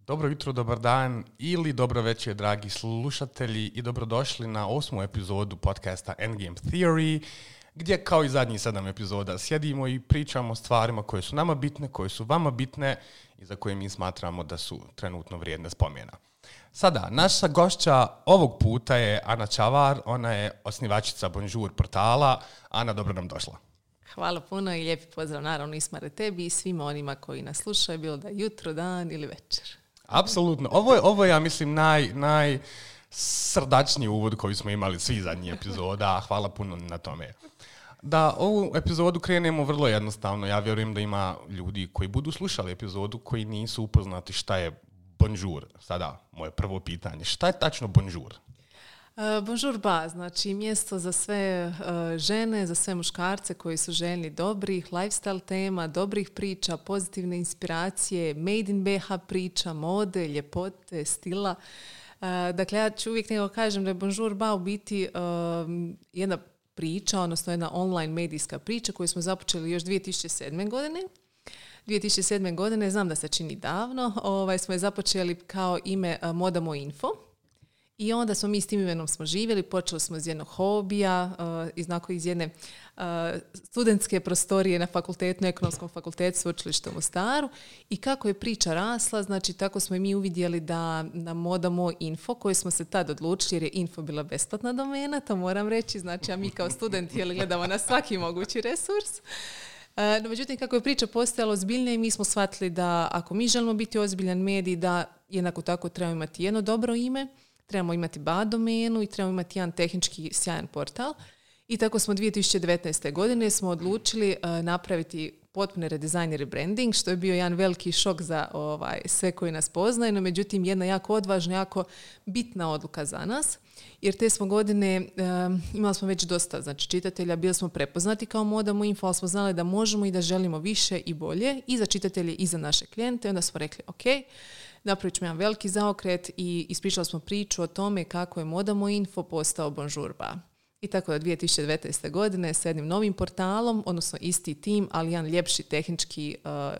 Dobro jutro, dobar dan ili dobro večer, dragi slušatelji, i dobrodošli na 8. epizodu podcasta Endgame Theory, gdje kao i zadnjih 7 epizoda sjedimo i pričamo o stvarima koje su nama bitne, koje su vama bitne i za koje mi smatramo da su trenutno vrijedne spomena. Sada, naša gošća ovog puta je Ana Čavar, ona je osnivačica Bonjour portala. Ana, dobro nam došla. Hvala puno i lijepi pozdrav naravno Ismare tebi i svima onima koji nas slušaju, bilo da jutro, dan ili večer. Apsolutno. Ovo je, ja mislim, najsrdačniji uvod koji smo imali svi zadnjih epizoda. Hvala puno na tome. Da ovu epizodu krenemo vrlo jednostavno. Ja vjerujem da ima ljudi koji budu slušali epizodu koji nisu upoznati šta je Bonjour. Sada, moje prvo pitanje. Šta je tačno Bonjour? Bonjour ba, znači mjesto za sve žene, za sve muškarce koji su željni dobrih lifestyle tema, dobrih priča, pozitivne inspiracije, made in BH priča, mode, ljepote, stila. Dakle, ja ću uvijek nego kažem da je Bonjour ba u biti jedna priča, odnosno jedna online medijska priča koju smo započeli još 2007. godine. 2007. godine, znam da se čini davno, smo je započeli kao ime Modamo Info. I onda smo mi s tim imenom smo živjeli, počeli smo iz jednog hobija, iz jedne studentske prostorije na fakultetu, na Ekonomskom fakultetu Sveučilišta u Mostaru. I kako je priča rasla, znači tako smo i mi uvidjeli da na Modamo Info, koji smo se tad odlučili, jer je info bila besplatna domena, to moram reći, znači a mi kao studenti gledamo na svaki mogući resurs. No, međutim, kako je priča postajala ozbiljnija, mi smo shvatili da ako mi želimo biti ozbiljan medij, da jednako tako trebamo imati jedno dobro ime, trebamo imati BA domenu i trebamo imati jedan tehnički sjajan portal. I tako smo 2019. godine smo odlučili napraviti potpuni redizajn i rebranding, što je bio jedan veliki šok za sve koji nas poznaju, no međutim jedna jako odvažna, jako bitna odluka za nas. Jer te smo godine imali smo već dosta čitatelja, bili smo prepoznati kao Modamo Info, ali smo znali da možemo i da želimo više i bolje i za čitatelje i za naše klijente. Onda smo rekli ok, napravit ćemo jedan veliki zaokret i ispričali smo priču o tome kako je Modamo Info postao Bonjour ba. I tako da 2019. godine s jednim novim portalom, odnosno isti tim, ali jedan ljepši, tehnički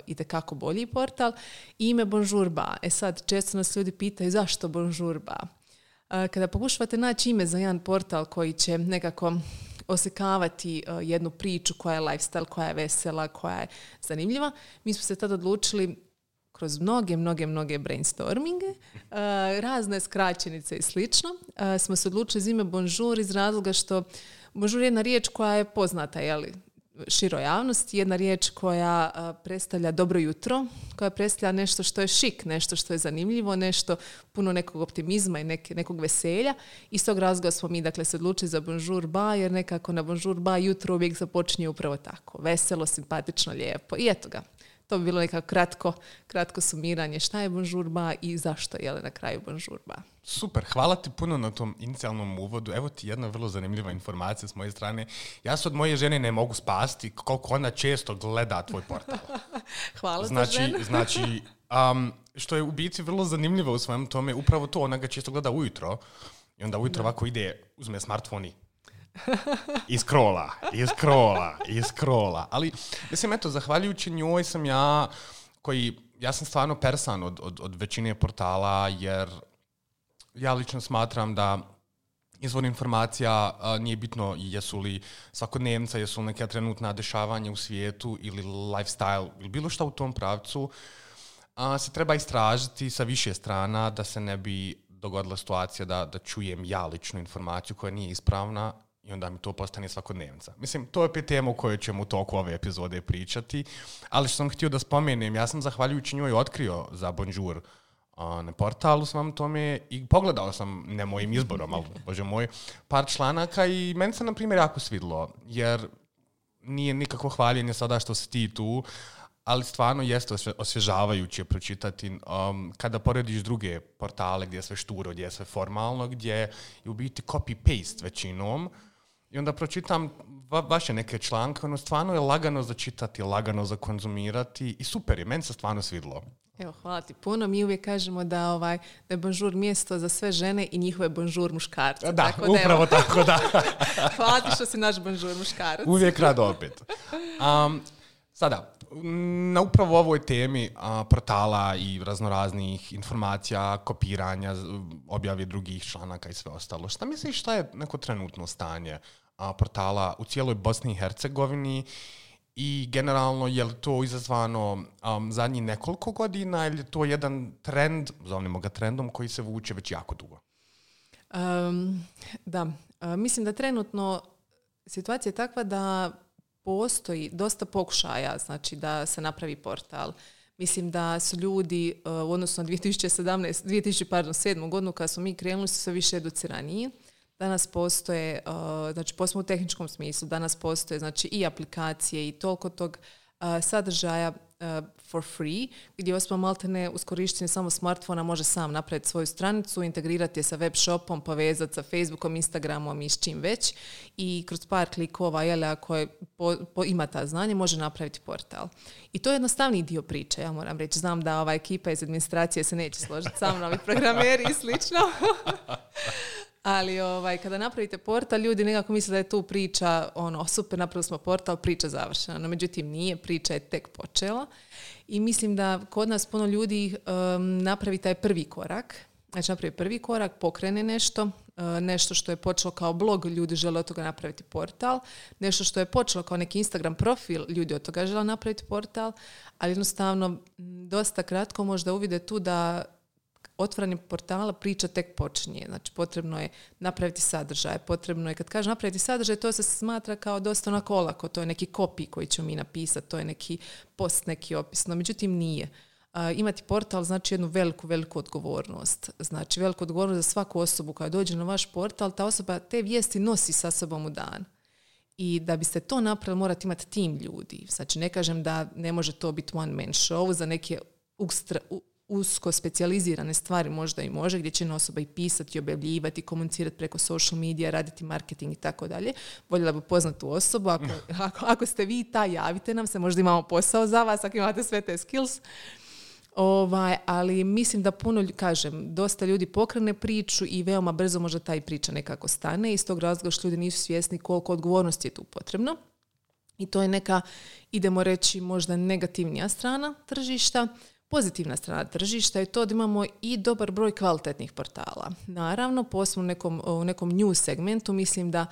itekako bolji portal, ime Bonjour ba. Sad, često nas ljudi pitaju zašto Bonjour ba. Kada pokušavate naći ime za jedan portal koji će nekako osekavati jednu priču koja je lifestyle, koja je vesela, koja je zanimljiva, mi smo se tada odlučili kroz mnoge brainstorminge, razne skraćenice i slično, smo se odlučili za ime Bonjour iz razloga što Bonjour je jedna riječ koja je poznata široj javnosti, jedna riječ koja predstavlja dobro jutro, koja predstavlja nešto što je šik, nešto što je zanimljivo, nešto puno nekog optimizma i nekog veselja. Iz tog razloga smo mi se odlučili za Bonjour ba, jer nekako na Bonjour ba jutro uvijek započinje upravo tako, veselo, simpatično, lijepo i eto ga. To bi bilo nekako kratko sumiranje šta je Bonjour ba i zašto je na kraju Bonjour ba. Super, hvala ti puno na tom inicijalnom uvodu. Evo ti jedna vrlo zanimljiva informacija s moje strane. Ja se od moje žene ne mogu spasti koliko ona često gleda tvoj portal. Hvala za ženu. Znači, što je u biti vrlo zanimljivo u svojom tome, upravo to, ona ga često gleda ujutro i onda ujutro ovako ide, uzme smartfon i scrolla. Ali, mislim, eto, zahvaljujući njoj sam ja sam stvarno persan od većine portala, jer ja lično smatram da izvor informacija nije bitno jesu li svakodnevnica, jesu li neka trenutna dešavanja u svijetu ili lifestyle ili bilo šta u tom pravcu, se treba istražiti sa više strana da se ne bi dogodila situacija da čujem ja ličnu informaciju koja nije ispravna i onda mi to postane svakodnevnica. Mislim, to je opet tema o kojoj ćemo u toku ove epizode pričati, ali što sam htio da spomenem, ja sam zahvaljujući njoj otkrio za Bonjour na portalu svom tome i pogledao sam, ne mojim izborom, ali bože moj, par članaka i meni se, na primjer, jako svidlo, jer nije nikakvo hvaljenje sada što si ti tu, ali stvarno jeste osvježavajuće pročitati kada porediš druge portale gdje je sve šturo, gdje je sve formalno, gdje je u biti copy-paste većinom. I onda pročitam vaše neke članke, ono stvarno je lagano za čitati, lagano za konzumirati i super je, meni se stvarno svidlo. Evo, hvala ti puno. Mi uvijek kažemo da je Bonjour mjesto za sve žene i njihove Bonjour muškarce. Da, tako upravo tako, da. Hvala ti što si naš Bonjour muškarac. Uvijek rado opet. Sada, Na upravo ovoj temi portala i raznoraznih informacija, kopiranja, objave drugih članaka i sve ostalo. Šta misliš šta je neko trenutno stanje portala u cijeloj Bosni i Hercegovini i generalno je li to izazvano zadnjih nekoliko godina ili je to jedan trend, zovnimo ga trendom, koji se vuče već jako dugo? Mislim da trenutno situacija je takva da postoji dosta pokušaja, znači da se napravi portal. Mislim da su ljudi u odnosu na 2007. godinu kada smo mi krenuli su sve više educiraniji. Danas postoje, znači posebno u tehničkom smislu, danas postoje znači i aplikacije i toliko tog sadržaja for free, gdje osoba maltene uz korištenje samo smartfona može sam napraviti svoju stranicu, integrirati je sa web shopom, povezati sa Facebookom, Instagramom i s čim već i kroz par klikova, ako ima ta znanje, može napraviti portal. I to je jednostavniji dio priče, ja moram reći. Znam da ova ekipa iz administracije se neće složiti sa mnom i programeri i slično. Ali kada napravite portal, ljudi nekako misle da je tu priča, super, napravili smo portal, priča završena. No, međutim, nije, priča je tek počela. I mislim da kod nas puno ljudi napravi taj prvi korak. Znači, napravi prvi korak, pokrene nešto što je počelo kao blog, ljudi žele od toga napraviti portal. Nešto što je počelo kao neki Instagram profil, ljudi od toga žele napraviti portal. Ali jednostavno, dosta kratko možda uvide tu da otvaranje portala priča tek počinje. Znači, potrebno je napraviti sadržaj. Potrebno je, kad kažem napraviti sadržaj, to se smatra kao dosta onako olako. To je neki copy koji ćemo mi napisati, to je neki post, neki opis. No, međutim, nije. Imati portal znači jednu veliku odgovornost. Znači, veliku odgovornost za svaku osobu koja dođe na vaš portal, ta osoba te vijesti nosi sa sobom u dan. I da biste to napravili, morate imati tim ljudi. Znači, ne kažem da ne može to biti one man show za neke usko specijalizirane stvari možda i može, gdje će osoba i pisati, objavljivati, komunicirati preko social medija, raditi marketing i tako dalje. Voljela bi poznati tu osobu. Ako ste vi ta, javite nam se, možda imamo posao za vas, ako imate sve te skills. Ali mislim da dosta ljudi pokrene priču i veoma brzo možda taj priča nekako stane. Iz tog razloga što ljudi nisu svjesni koliko odgovornosti je tu potrebno. I to je neka, idemo reći, možda negativnija strana tržišta. Pozitivna strana tržišta je to da imamo i dobar broj kvalitetnih portala. Naravno, posebno u nekom news segmentu mislim da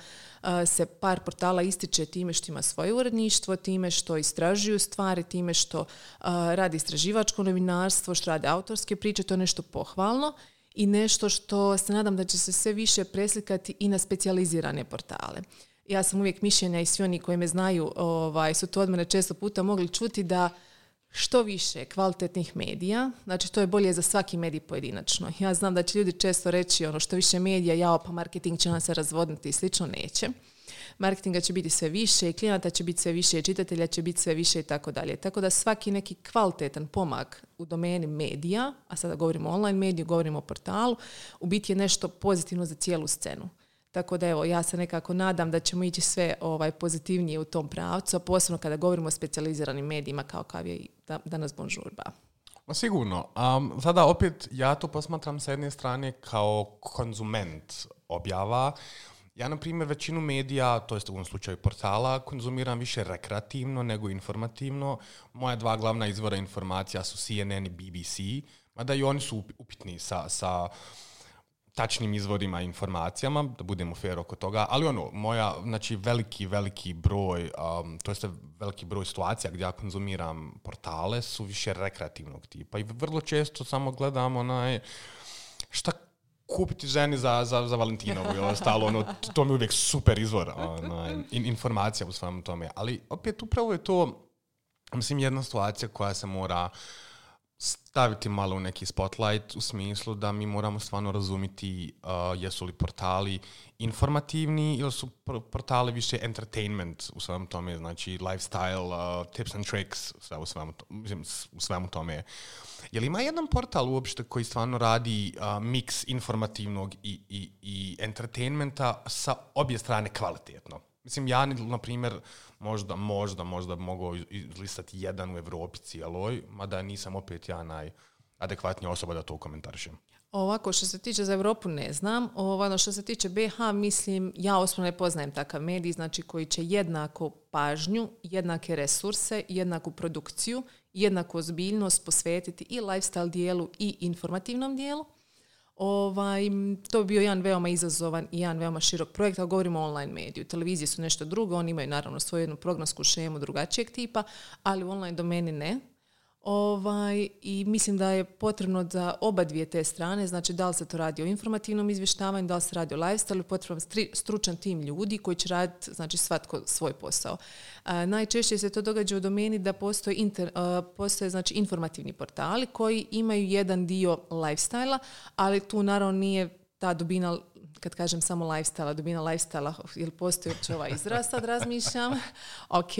se par portala ističe time što ima svoje uredništvo, time što istražuju stvari, time što radi istraživačko novinarstvo, što rade autorske priče, to je nešto pohvalno i nešto što se nadam da će se sve više preslikati i na specijalizirane portale. Ja sam uvijek mišljenja i svi oni koji me znaju su to od mene često puta mogli čuti da što više kvalitetnih medija, znači to je bolje za svaki medij pojedinačno. Ja znam da će ljudi često reći što više medija, pa marketing će nam se razvodniti i slično, neće. Marketinga će biti sve više, klijenata će biti sve više, čitatelja će biti sve više i tako dalje. Tako da svaki neki kvalitetan pomak u domeni medija, a sada govorimo o online mediju, govorimo o portalu, u biti je nešto pozitivno za cijelu scenu. Tako da ja se nekako nadam da ćemo ići sve pozitivnije u tom pravcu, a posebno kada govorimo o specijaliziranim medijima kao je danas Bonžurba. Sigurno. Sada opet ja to posmatram sa jedne strane kao konzument objava. Ja, na primjer, većinu medija, to jest u ovom slučaju portala, konzumiram više rekreativno nego informativno. Moja dva glavna izvora informacija su CNN i BBC, mada i oni su upitni sa tačnim izvorima i informacijama, da budemo fair oko toga, ali znači veliki broj, to jest veliki broj situacija gdje ja konzumiram portale su više rekreativnog tipa i vrlo često samo gledam šta kupiti ženi za Valentinovu i ostalo, to mi je uvijek super izvor informacija u svemu tome, ali opet upravo je to, mislim, jedna situacija koja se mora staviti malo u neki spotlight u smislu da mi moramo stvarno razumjeti jesu li portali informativni ili su portali više entertainment u svemu tome, znači lifestyle, tips and tricks, u svemu tome. Je li ima jedan portal uopšte koji stvarno radi mix informativnog i entertainmenta sa obje strane kvalitetno? Mislim, ja, na primjer, možda mogu izlistati jedan u Evropi cijeloj, mada nisam opet ja najadekvatnija osoba da to komentarišem. Ovako, što se tiče za Europu ne znam. Ono što se tiče BiH, mislim, ja osobno ne poznajem takav medij, znači koji će jednako pažnju, jednake resurse, jednaku produkciju, jednaku ozbiljnost posvetiti i lifestyle dijelu i informativnom dijelu. To bi bio jedan veoma izazovan i jedan veoma širok projekt, a govorimo o online mediju. Televizije su nešto drugo, oni imaju naravno svoju jednu programsku šemu drugačijeg tipa, ali u online domeni ne. I mislim da je potrebno za oba dvije te strane, znači da li se to radi o informativnom izvještavanju, da li se radi o lifestyle, potreban stručan tim ljudi koji će raditi, znači svatko svoj posao. Najčešće se to događa u domeni da postoje znači informativni portali koji imaju jedan dio lifestyle-a, ali tu naravno nije ta dubina, kad kažem samo lifestyle, dubina lifestyle, jel postoji uopće ovaj izraz, sad razmišljam. Ok.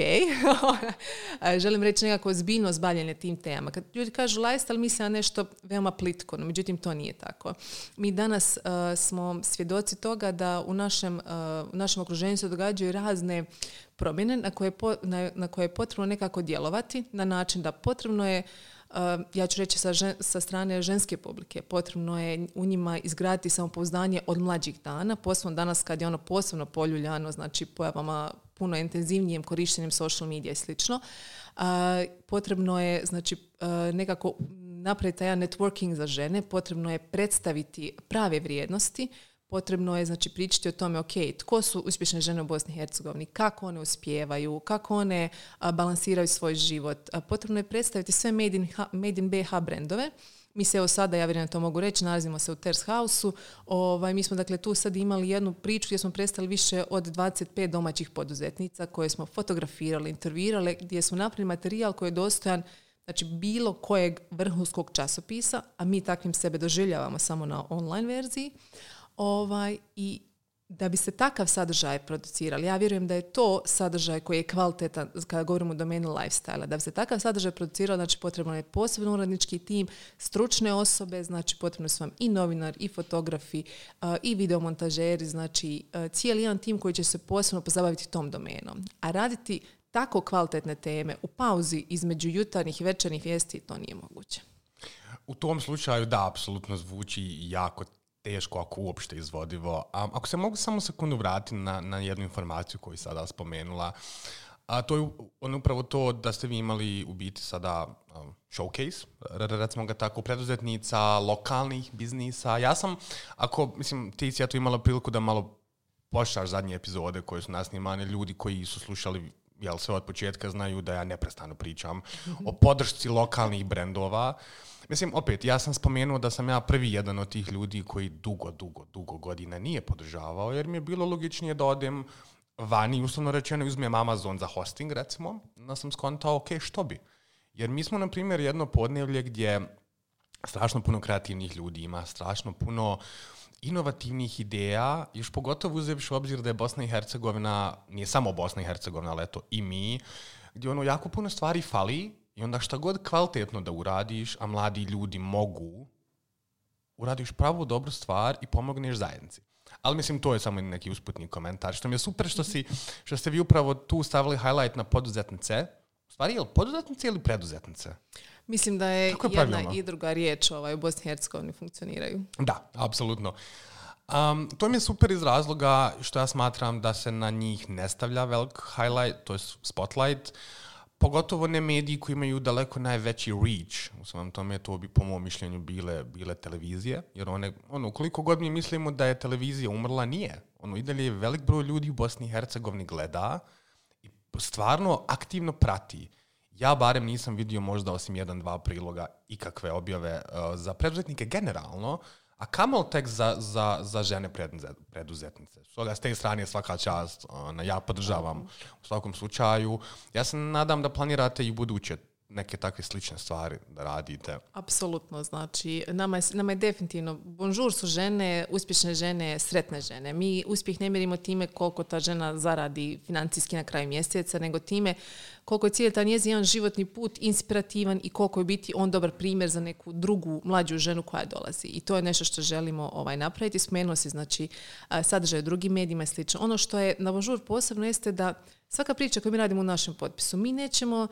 Želim reći nekako ozbiljnost bavljenja tim temama. Kad ljudi kažu lifestyle, misle na nešto veoma plitko, no međutim to nije tako. Mi danas smo svjedoci toga da u našem okruženju se događaju razne promjene na koje je potrebno nekako djelovati, na način da potrebno je, ja ću reći sa strane ženske publike, potrebno je u njima izgraditi samopouzdanje od mlađih dana, posebno danas kad je ono posebno poljuljano, znači pojavama puno intenzivnijem korištenjem social media i slično. Potrebno je znači nekako napraviti taj networking za žene, potrebno je predstaviti prave vrijednosti, potrebno je znači pričati o tome, ok, tko su uspješne žene u Bosni i Hercegovini, kako one uspijevaju, kako one balansiraju svoj život. Potrebno je predstaviti sve Made in BiH brendove. Mi se evo sada, ja vjerujem to mogu reći, nalazimo se u Terrace House-u. Mi smo dakle tu sad imali jednu priču gdje smo predstavili više od 25 domaćih poduzetnica koje smo fotografirali, intervjuirali, gdje smo napravili materijal koji je dostojan znači bilo kojeg vrhunskog časopisa, a mi takvim sebe doživljavamo samo na online verziji. I da bi se takav sadržaj producirali, ja vjerujem da je to sadržaj koji je kvalitetan kada govorimo o domeni lifestyle. Da bi se takav sadržaj producirao, znači potrebno je posebno urednički tim, stručne osobe, znači potrebno su vam i novinar, i fotografi, i videomontažeri, znači cijeli jedan tim koji će se posebno pozabaviti tom domenom. A raditi tako kvalitetne teme u pauzi između jutarnjih i večernjih vijesti, to nije moguće. U tom slučaju da, apsolutno zvuči jako teško, ako uopšte izvodivo. Ako se mogu samo sekundu vratiti na jednu informaciju koju sada spomenula, a to je upravo to da ste vi imali u biti sada showcase, recimo ga tako, preduzetnica, lokalnih biznisa. Ja sam, ti si ja tu imala priliku da malo pošaš zadnje epizode koje su nasnimane, ljudi koji su slušali sve od početka znaju da ja neprestano pričam o podršci lokalnih brendova. Mislim, opet, ja sam spomenuo da sam ja prvi jedan od tih ljudi koji dugo godina nije podržavao, jer mi je bilo logičnije da odem vani, uslovno rečeno, uzmem Amazon za hosting, recimo, da sam skontao, ok, što bi? Jer mi smo, na primjer, jedno podnevlje gdje strašno puno kreativnih ljudi ima, strašno puno inovativnih ideja, još pogotovo uzevši u obzir da je Bosna i Hercegovina, nije samo Bosna i Hercegovina, ali eto i mi, gdje jako puno stvari fali. I onda šta god kvalitetno da uradiš, a mladi ljudi mogu, uradiš pravu dobru stvar i pomogneš zajednici. Ali mislim, to je samo neki usputni komentar. Što mi je super što ste vi upravo tu stavili highlight na poduzetnice. U stvari, je li poduzetnice ili preduzetnice? Mislim da je jedna i druga riječ u Bosni i Hercegovini funkcioniraju. Da, apsolutno. To mi je super iz razloga što ja smatram da se na njih ne stavlja velik highlight, to je spotlight. Pogotovo ne mediji koji imaju daleko najveći reach. U svom tome to bi po mom mišljenju bile televizije. Jer koliko god mi mislimo da je televizija umrla, nije. I dalje velik broj ljudi u Bosni i Hercegovini gleda i stvarno aktivno prati. Ja barem nisam vidio možda osim 1-2 priloga ikakve objave za preduzetnike generalno, a kamol tek za žene preduzetnice. S te strane je svaka čast, ja podržavam u svakom slučaju. Ja se nadam da planirate i buduće neke takve slične stvari da radite. Apsolutno, znači nama je definitivno, bonjour su žene, uspješne žene, sretne žene. Mi uspjeh ne mjerimo time koliko ta žena zaradi financijski na kraju mjeseca, nego time koliko je cijeli taj njezin jedan životni put inspirativan i koliko je biti on dobar primjer za neku drugu mlađu ženu koja dolazi. I to je nešto što želimo napraviti. Spomenuo si znači sadržaj u drugim medijima i slično. Ono što je na bonjour posebno jeste da Svaka priča koju mi radimo u našem potpisu, mi nećemo,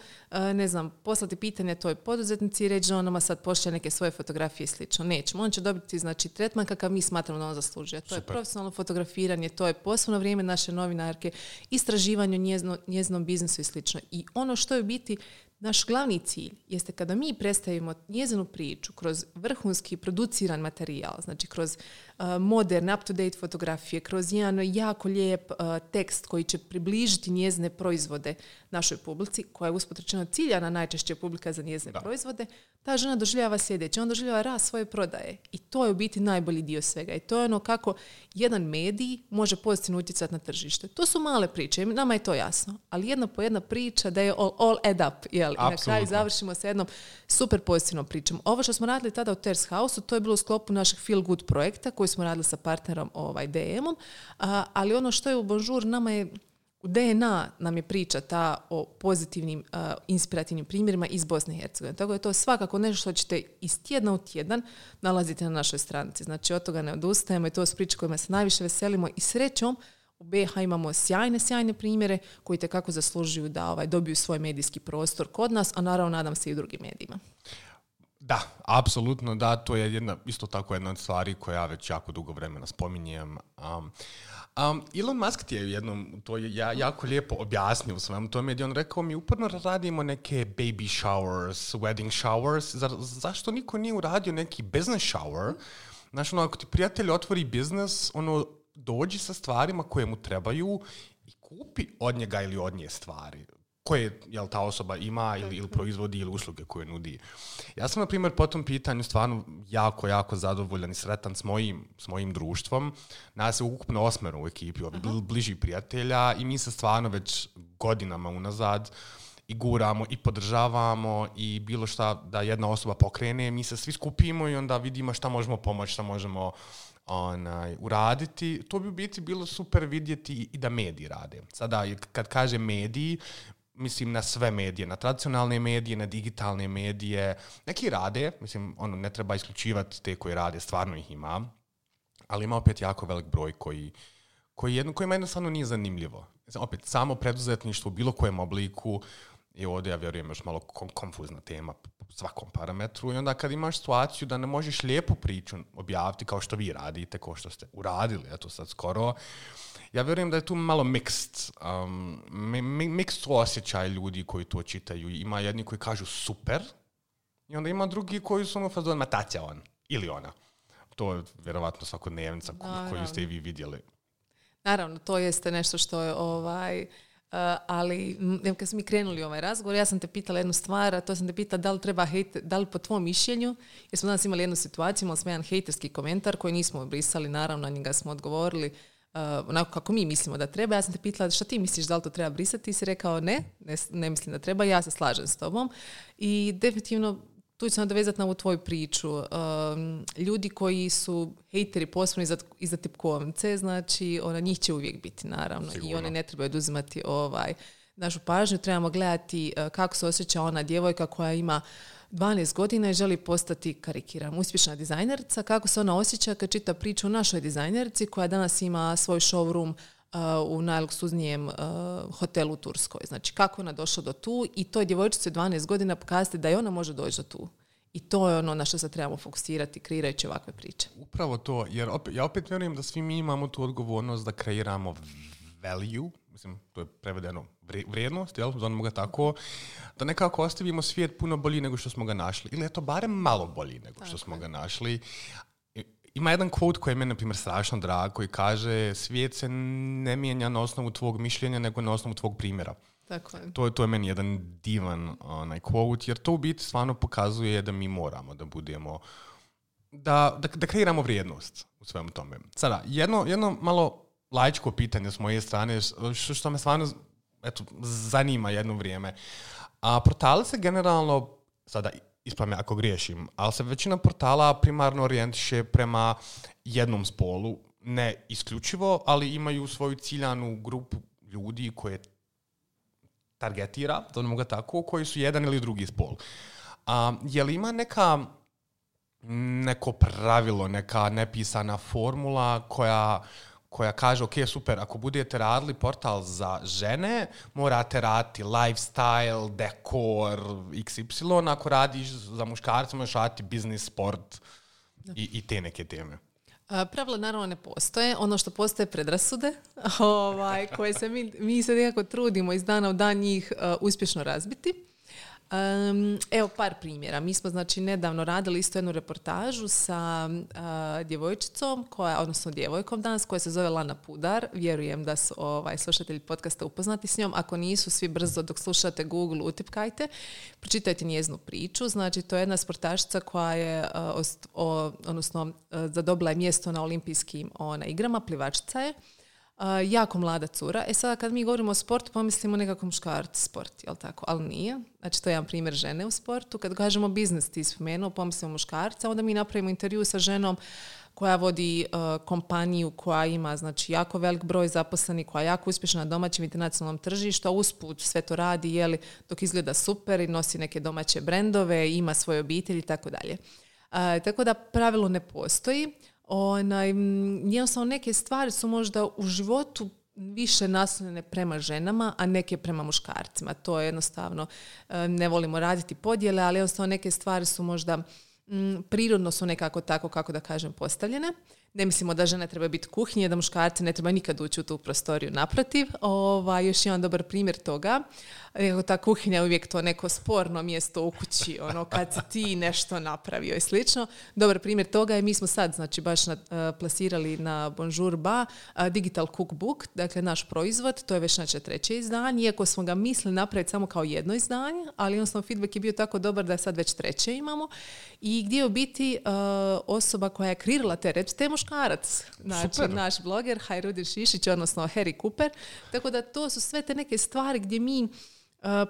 poslati pitanje toj poduzetnici i reći da on nama sad pošalje neke svoje fotografije i slično. Nećemo. On će dobiti, tretman kakav mi smatramo da on zaslužuje. To je profesionalno fotografiranje, to je posebno vrijeme naše novinarke, istraživanje o njezinom biznisu i slično. I ono što je u biti naš glavni cilj jeste kada mi predstavimo njezinu priču kroz vrhunski produciran materijal, znači kroz moderne, up-to-date fotografije, kroz jedan jako lijep tekst koji će približiti njezine proizvode našoj publici, koja je usput rečeno ciljana najčešće publika za njezine proizvode, ta žena doživljava sljedeće. On doživljava rast svoje prodaje. I to je u biti najbolji dio svega. I to je ono kako jedan medij može pozitivno utjecati na tržište. To su male priče, nama je to jasno. Ali jedna po jedna priča da je all add up. Jel? I na kraju završimo sa jednom super pozitivnom pričom. Ovo što smo radili tada u Terrace House-u, to je bilo u sklopu našeg Feel Good projekta koji smo radili sa partnerom DM-om. Ali ono što je u Bonjour, nama je u DNA nam je priča ta o pozitivnim, inspirativnim primjerima iz Bosne i Hercegovine. Tako da je to svakako nešto što ćete iz tjedna u tjedan nalaziti na našoj stranici. Znači, od toga ne odustajemo i to su priče kojima se najviše veselimo i srećom u BiH imamo sjajne primjere koji tekako zaslužuju da dobiju svoj medijski prostor kod nas, a naravno nadam se i u drugim medijima. Da, apsolutno da, to je isto tako jedna od stvari koja ja već jako dugo vremena spominjem. Elon Musk ti je jednom, to je jako lijepo objasnio u svemu tome, gdje on rekao mi uporno radimo neke baby showers, wedding showers, zašto niko nije uradio neki business shower? Znači, ako ti prijatelj otvori biznes, dođi sa stvarima koje mu trebaju i kupi od njega ili od nje stvari koje ta osoba ima ili proizvodi ili usluge koje nudi. Ja sam, na primjer, po tom pitanju stvarno jako zadovoljan i sretan s mojim društvom. Nas je ukupno 8 u ekipi, bliži prijatelja i mi se stvarno već godinama unazad i guramo i podržavamo i bilo šta da jedna osoba pokrene, mi se svi skupimo i onda vidimo šta možemo pomoći, šta možemo uraditi. To bi u biti bilo super vidjeti i da mediji rade. Sada, kad kaže mediji, mislim na sve medije, na tradicionalne medije, na digitalne medije. Neki rade, mislim, ne treba isključivati te koji rade, stvarno ih ima, ali ima opet jako velik broj kojima jednostavno nije zanimljivo. Opet, samo preduzetništvo u bilo kojem obliku je ovdje, ja vjerujem, još malo konfuzna tema po svakom parametru i onda kad imaš situaciju da ne možeš lijepu priču objaviti kao što vi radite, kao što ste uradili, eto sad skoro, ja vjerujem da je tu malo mixed osjećaj ljudi koji to čitaju. Ima jedni koji kažu super i onda ima drugi koji su fazon, ma taća on ili ona. To je vjerovatno svakodnevnica koju ste i vi vidjeli. Naravno, to jeste nešto što je ali kad smo mi krenuli ovaj razgovor, ja sam te pitala jednu stvar, a to sam te pitala da li treba da li po tvom mišljenju, jer smo danas imali jednu situaciju, imali smo jedan hejterski komentar koji nismo brisali, naravno, na njega smo odgovorili onako kako mi mislimo da treba. Ja sam te pitala šta ti misliš, da li to treba brisati, i si rekao ne mislim da treba, ja se slažem s tobom. I definitivno tu ću se nadovezati na ovu tvoju priču. Ljudi koji su hejteri posebno iza tipkovnice, znači njih će uvijek biti, naravno. Sigurno. I one ne trebaju oduzimati našu pažnju. Trebamo gledati kako se osjeća ona djevojka koja ima 12 godina i želi postati, karikiram, uspješna dizajnerica. Kako se ona osjeća kad čita priču o našoj dizajnerici koja danas ima svoj showroom u najluksuznijem hotelu u Turskoj. Znači, kako ona došla do tu i toj djevojčici od 12 godina pokazati da i ona može doći do tu. I to je ono na što se trebamo fokusirati kreirajući ovakve priče. Upravo to, jer ja opet vjerujem da svi mi imamo tu odgovornost da kreiramo value, mislim, to je prevedeno vrijednost, jel, zovemo ga tako, da nekako ostavimo svijet puno bolji nego što smo ga našli. Ili je to barem malo bolji nego što smo ga našli. Ima jedan quote koji je meni, na primjer, strašno drag, koji kaže svijet se ne mijenja na osnovu tvog mišljenja, nego na osnovu tvog primjera. Tako je. To je meni jedan divan quote, jer to u biti stvarno pokazuje da mi moramo da budemo, da kreiramo vrijednost u svemu tome. Sada, jedno malo laičko pitanje s moje strane, što me stvarno zanima jedno vrijeme. Portali se generalno, sada ispravim me ako griješim, ali se većina portala primarno orijentiše prema jednom spolu, ne isključivo, ali imaju svoju ciljanu grupu ljudi koje targetira, da ga tako, koji su jedan ili drugi spol. Je li ima neko pravilo, neka nepisana formula koja kaže, ok, super, ako budete radili portal za žene, morate raditi lifestyle, dekor, XY, ako radiš za muškarce, možeš raditi business, sport i te neke teme. Pravila naravno ne postoje. Ono što postoje predrasude, koje se mi se nekako trudimo iz dana u dan njih uspješno razbiti. Evo par primjera. Mi smo znači nedavno radili isto jednu reportažu sa djevojčicom, odnosno djevojkom danas, koja se zove Lana Pudar. Vjerujem da su slušatelji podcasta upoznati s njom. Ako nisu, svi brzo dok slušate Google utipkajte, pročitajte njezinu priču. Znači to je jedna sportašica koja je zadobila je mjesto na olimpijskim igrama, plivačica je. Jako mlada cura. Sada kad mi govorimo o sportu, pomislimo nekako muškarac sport, jel tako? Ali nije. Znači to je jedan primjer žene u sportu. Kad kažemo biznis, ti spomenuo, pomislimo muškarca, onda mi napravimo intervju sa ženom koja vodi kompaniju koja ima znači jako velik broj zaposlenih, koja je jako uspješna na domaćem internacionalnom tržištu, a usput sve to radi dok izgleda super i nosi neke domaće brendove, ima svoje obitelji i tako dalje. Tako da pravilo ne postoji. Jednostavno neke stvari su možda u životu više naslonjene prema ženama, a neke prema muškarcima. To je jednostavno, ne volimo raditi podjele, ali jednostavno neke stvari su možda prirodno su nekako tako, kako da kažem, postavljene. Ne mislimo da žene treba biti kuhinje, da muškarci ne treba nikad ući u tu prostoriju. Naprotiv, još jedan dobar primjer toga. Ta kuhinja je uvijek to neko sporno mjesto u kući, kad si ti nešto napravio i slično. Dobar primjer toga je, mi smo sad znači baš plasirali na Bonjour Ba Digital Cookbook, dakle naš proizvod, to je već znači 3. izdanje, iako smo ga mislili napraviti samo kao jedno izdanje, ali jednostavno feedback je bio tako dobar da je sad već 3. imamo. I gdje je u biti osoba koja je kreirala te recepte, muškarac, znači super. Naš bloger Hajrudin Šišić, odnosno Harry Cooper, tako da to su sve te neke stvari gdje mi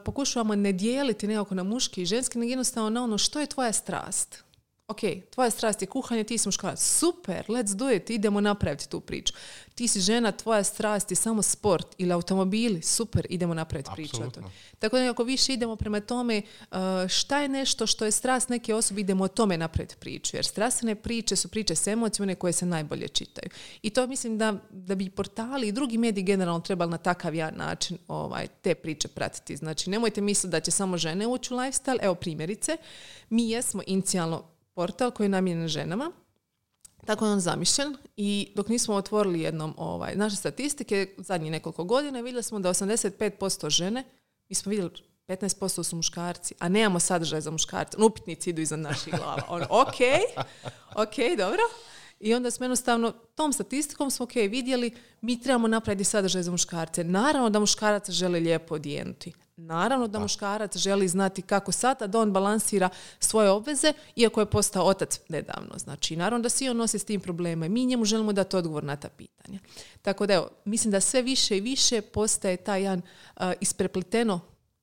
pokušavamo ne dijeliti nekako na muški i ženski, nego jednostavno na ono što je tvoja strast. Ok, tvoja strast je kuhanje, ti si muškarac. Super, let's do it, idemo napraviti tu priču. Ti si žena, tvoja strast je samo sport ili automobili. Super, idemo napraviti priču. Tako da ako više idemo prema tome šta je nešto što je strast neke osobe, idemo o tome napraviti priču. Jer strastvene priče su priče s emocijama koje se najbolje čitaju. I to mislim da bi portali i drugi mediji generalno trebali na takav način te priče pratiti. Znači, nemojte misliti da će samo žene ući u lifestyle. Evo primjerice, mi jesmo inicijalno portal koji je namijenjen ženama, tako je on zamišljen i dok nismo otvorili jednom naše statistike zadnjih nekoliko godina vidjeli smo da 85% žene, mi smo vidjeli 15% su muškarci, a nemamo sadržaj za muškarce. Upitnici idu iza naših glava. Ok, dobro. I onda smo jednostavno tom statistikom smo vidjeli mi trebamo napraviti sadržaj za muškarce. Naravno da muškarac želi lijepo odijenuti. Naravno da muškarac želi znati kako sad da on balansira svoje obveze, iako je postao otac nedavno. Znači, naravno da svi on nosi s tim problema i mi njemu želimo dati odgovor na ta pitanja. Tako da, evo, mislim da sve više i više postaje taj jedan isprepleteno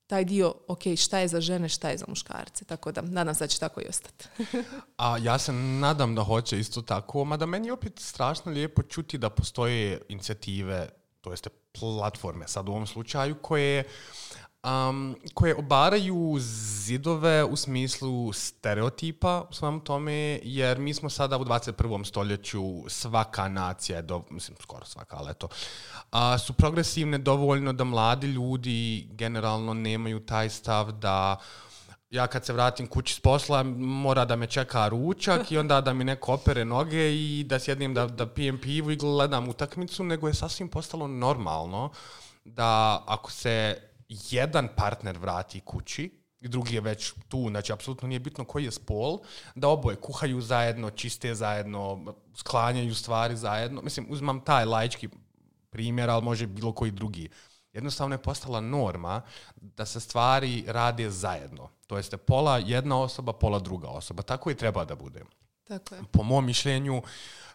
taj dio, ok, šta je za žene, šta je za muškarce. Tako da, nadam se da će tako i ostati. A ja se nadam da hoće isto tako, mada meni je opet strašno lijepo čuti da postoje inicijative, to jeste platforme sad u ovom slučaju, koje obaraju zidove u smislu stereotipa u svemu tome, jer mi smo sada u 21. stoljeću, svaka nacija, skoro svaka, ali eto, su progresivne dovoljno da mladi ljudi generalno nemaju taj stav da ja kad se vratim kući s posla mora da me čeka ručak i onda da mi neko opere noge i da sjednem da pijem pivu i gledam utakmicu, nego je sasvim postalo normalno da ako se jedan partner vrati kući i drugi je već tu, znači apsolutno nije bitno koji je spol, da oboje kuhaju zajedno, čiste zajedno, sklanjaju stvari zajedno. Mislim, uzmam taj laički primjer, ali može bilo koji drugi. Jednostavno je postala norma da se stvari rade zajedno. To jeste pola jedna osoba, pola druga osoba. Tako i treba da bude. Tako je. Po mom mišljenju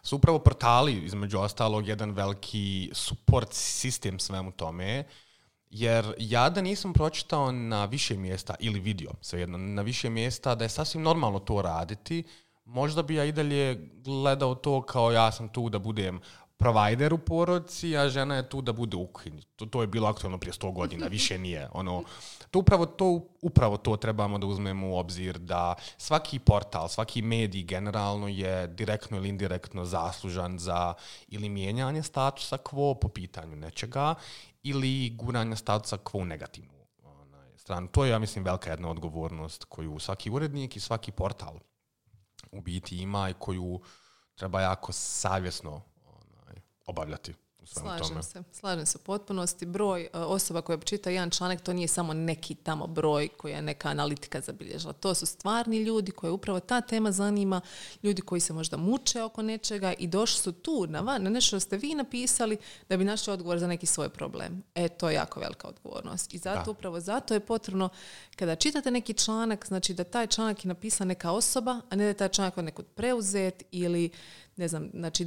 su upravo portali, između ostalog, jedan veliki support sistem svemu tome. Jer ja da nisam pročitao na više mjesta ili vidio, svejedno, na više mjesta da je sasvim normalno to raditi, možda bi ja i dalje gledao to kao ja sam tu da budem provider u porodici, a žena je tu da bude u kuhinji. To je bilo aktualno prije 100 godina, više nije. Upravo to trebamo da uzmemo u obzir, da svaki portal, svaki medij generalno je direktno ili indirektno zaslužan za ili mijenjanje statusa quo po pitanju nečega ili guranje statusa quo u negativnu stranu. To je, ja mislim, velika jedna odgovornost koju svaki urednik i svaki portal u biti ima i koju treba jako savjesno obavljati. Slažem se u potpunosti. Broj osoba koja čita jedan članak, to nije samo neki tamo broj koji je neka analitika zabilježila. To su stvarni ljudi koje upravo ta tema zanima, ljudi koji se možda muče oko nečega i došli su tu na nešto što ste vi napisali da bi našli odgovor za neki svoj problem. To je jako velika odgovornost. I zato je potrebno kada čitate neki članak, znači da taj članak je napisan neka osoba, a ne da je taj članak od nekud preuzet ili ne znam, znači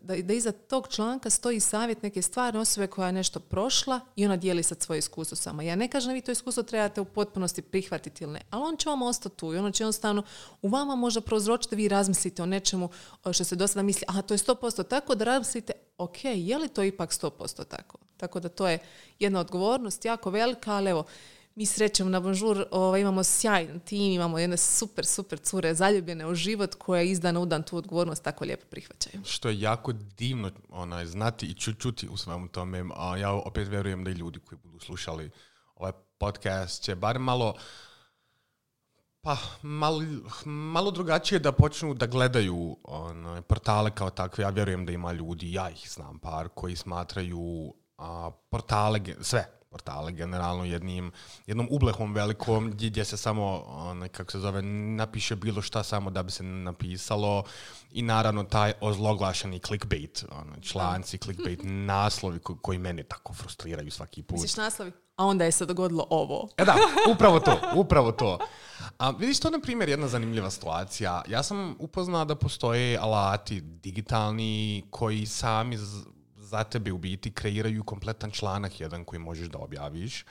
da iza tog članka stoji savjet neke stvarne osobe koja je nešto prošla i ona dijeli sad svoje iskustvo sama. Ja ne kažem da vi to iskustvo trebate u potpunosti prihvatiti ili ne, ali on će vam ostati tu i ono će jednostavno u vama možda prouzročiti da vi razmislite o nečemu što se do sada misli, aha, to je 100% tako, da razmislite, ok, je li to ipak 100% tako? Tako da to je jedna odgovornost jako velika, ali evo, mi srećemo na Bonjour, imamo sjajan tim, imamo jedne super cure zaljubljene u život koje iz dana u dan tu odgovornost tako lijepo prihvaćaju. Što je jako divno znati i čuti u svemu tome. Ja opet vjerujem da i ljudi koji budu slušali ovaj podcast će bar malo drugačije da počnu da gledaju portale kao takve. Ja vjerujem da ima ljudi, ja ih znam par, koji smatraju portale generalno jednom ublehom velikom gdje se samo, napiše bilo šta samo da bi se napisalo i naravno taj ozloglašeni clickbait, članci, clickbait, naslovi koji mene tako frustriraju svaki put. Misliš naslovi? A onda je se dogodilo ovo. Da, upravo to. Vidiš, to na primjer jedna zanimljiva situacija. Ja sam upoznao da postoje alati digitalni koji sami za tebe u biti kreiraju kompletan članak jedan koji možeš da objaviš.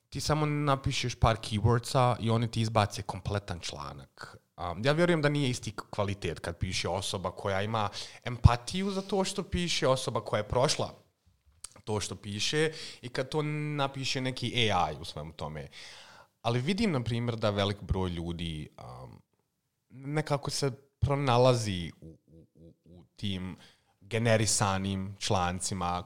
Ti samo napišeš par keywordsa i oni ti izbace kompletan članak. Ja vjerujem da nije isti kvalitet kad piše osoba koja ima empatiju za to što piše, osoba koja je prošla to što piše i kad to napiše neki AI u svemu tome. Ali vidim, na primjer, da velik broj ljudi nekako se pronalazi u tim generisanim člancima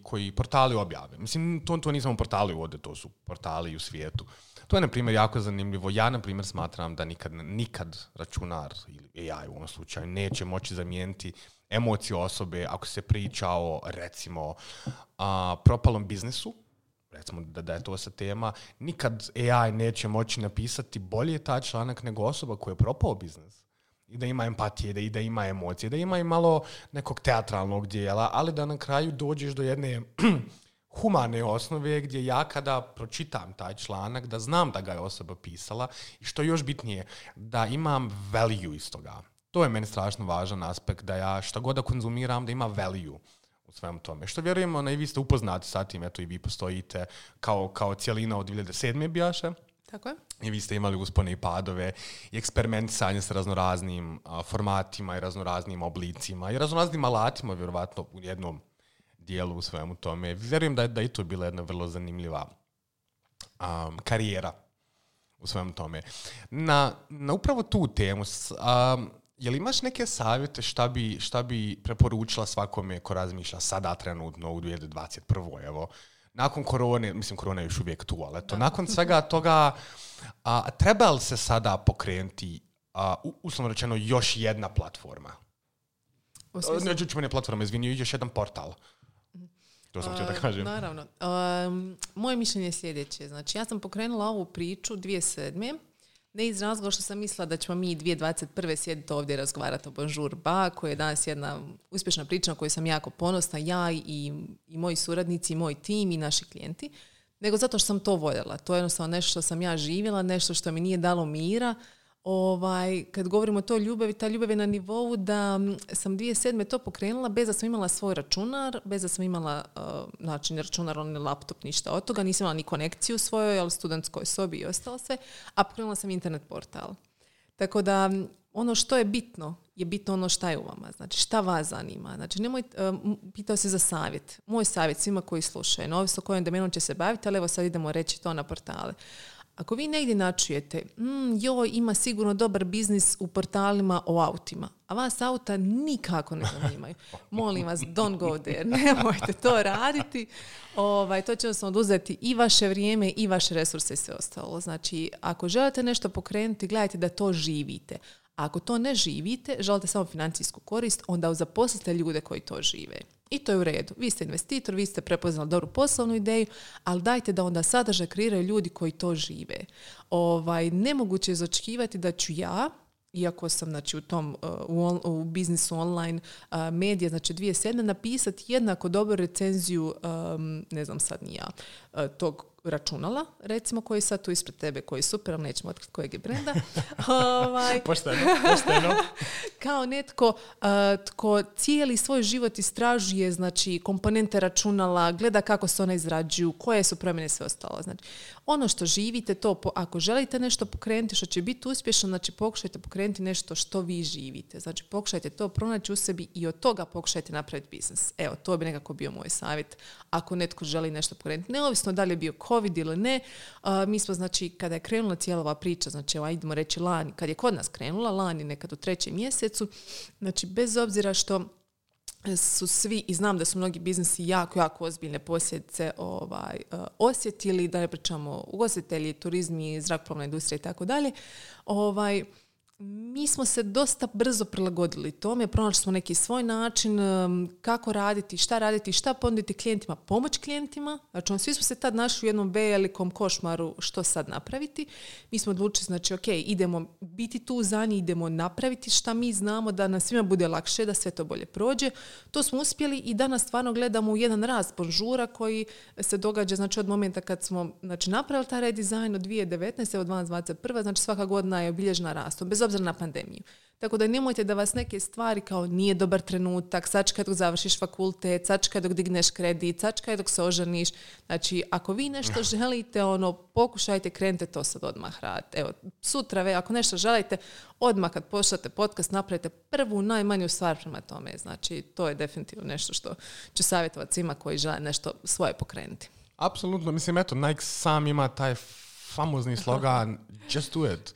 koji portali objave. Mislim, to nisam portali ovdje, to su portali u svijetu. To je, na primjer, jako zanimljivo. Ja, na primjer, smatram da nikad računar ili AI u ovom slučaju neće moći zamijeniti emociju osobe ako se priča o, recimo, propalom biznisu, recimo da je to sa tema. Nikad AI neće moći napisati bolje taj članak nego osoba koja je propao biznis. I da ima empatije, i da ima emocije, da ima i malo nekog teatralnog dijela, ali da na kraju dođeš do jedne humane osnove gdje ja kada pročitam taj članak, da znam da ga je osoba pisala i što još bitnije, da imam value iz toga. To je meni strašno važan aspekt, da ja šta god da konzumiram, da ima value u svemu tome. Što vjerujem, i vi ste upoznati sa tim, eto i vi postojite kao cijelina od 2007. bijaše. Tako je. I vi ste imali uspone i padove i eksperimentisanje sa raznoraznim formatima i raznoraznim oblicima i raznoraznim alatima, vjerovatno u jednom dijelu u svemu tome. Vjerujem da je i to bila jedna vrlo zanimljiva karijera u svemu tome. Na upravo tu temu, je li imaš neke savjete šta bi preporučila svakome ko razmišlja sada trenutno u 2021. Evo, nakon korone, mislim korona je još uvijek tu, ali eto, nakon svega toga treba li se sada pokrenuti, uslovno rečeno, još jedna platforma? Ne platforma, izvinio, još jedan portal. To sam htio da kažem. Naravno. Moje mišljenje je sljedeće. Znači, ja sam pokrenula ovu priču 2007. Ne iz razloga što sam mislila da ćemo mi 2021. sjediti ovdje i razgovarati o Bonjour Ba, koja je danas jedna uspješna priča na koju sam jako ponosna, ja i moji suradnici, i moj tim i naši klijenti, nego zato što sam to voljela. To je jednostavno nešto što sam ja živjela, nešto što mi nije dalo mira. Kad govorimo o toj ljubavi, ta ljubav je na nivou da sam 2007. to pokrenula bez da sam imala svoj računar, bez da sam imala ni računar, ni laptop, ništa od toga. Nisam imala ni konekciju u svojoj, ali studentskoj sobi i ostalo sve, a pokrenula sam internet portal. Tako da ono što je bitno ono šta je u vama. Znači, šta vas zanima. Znači, pitao se za savjet. Moj savjet svima koji slušaju, ovisno kojom domenom će se baviti, ali evo sad idemo reći to na portale. Ako vi negdje načujete, ima sigurno dobar biznis u portalima o autima, a vas auta nikako ne zanimaju. Molim vas, don't go there. Nemojte to raditi. To će vam oduzeti i vaše vrijeme i vaše resurse i sve ostalo. Znači, ako želite nešto pokrenuti, gledajte da to živite. A ako to ne živite, želite samo financijsku korist, onda zaposlite ljude koji to žive. I to je u redu. Vi ste investitor, vi ste prepoznali dobru poslovnu ideju, ali dajte da onda sadržaj kreiraju ljudi koji to žive. Nemoguće je očekivati da ću ja, iako sam u tom u biznisu online medija, 2007. napisati jednako dobru recenziju, ne znam sad ni ja, tog računala, recimo, koji je sad tu ispred tebe, koji je super, ali nećemo otkriti kojeg je brenda. Pošteno. Kao netko tko cijeli svoj život istražuje, komponente računala, gleda kako se one izrađuju, koje su promjene, sve ostalo. Znači, ono što živite, to ako želite nešto pokrenuti što će biti uspješno, pokušajte pokrenuti nešto što vi živite. Znači, pokušajte to pronaći u sebi i od toga pokušajte napraviti biznis. Evo, to bi nekako bio moj savjet ako netko želi nešto pokrenuti. Neovisno da li je bio COVID ili ne, mi smo, kada je krenula cijela ova priča, idemo reći lani, kad je kod nas krenula, lani nekad u 3. mjesecu, bez obzira što su svi, i znam da su mnogi biznisi jako ozbiljne posljedice osjetili, da ne pričamo ugostitelji, turizmi, zrakoplovna industrija i tako dalje, mi smo se dosta brzo prilagodili tome, pronašli smo neki svoj način kako raditi, šta ponuditi klijentima, pomoć klijentima. Znači, svi smo se tad našli u jednom velikom košmaru što sad napraviti. Mi smo odlučili, idemo biti tu za njih, idemo napraviti šta mi znamo da nam svima bude lakše, da sve to bolje prođe. To smo uspjeli i danas stvarno gledamo u jedan rast bonžura koji se događa, od momenta kad smo napravili taj redizajn od 2019. od 2021. Svaka godina je obilježena rastom, bez obzira na pandemiju. Tako da nemojte da vas neke stvari kao nije dobar trenutak, sačekaj dok završiš fakultet, sačekaj dok digneš kredit, sačekaj dok se oženiš. Znači, ako vi nešto želite, pokušajte, krenite to sad odmah raditi. Evo, sutra, ako nešto želite, odmah kad pošljate podcast, napravite prvu, najmanju stvar prema tome. Znači, to je definitivno nešto što ću savjetovati svima koji žele nešto svoje pokrenuti. Apsolutno. Mislim, Nike sam ima taj famozni slogan Just do it.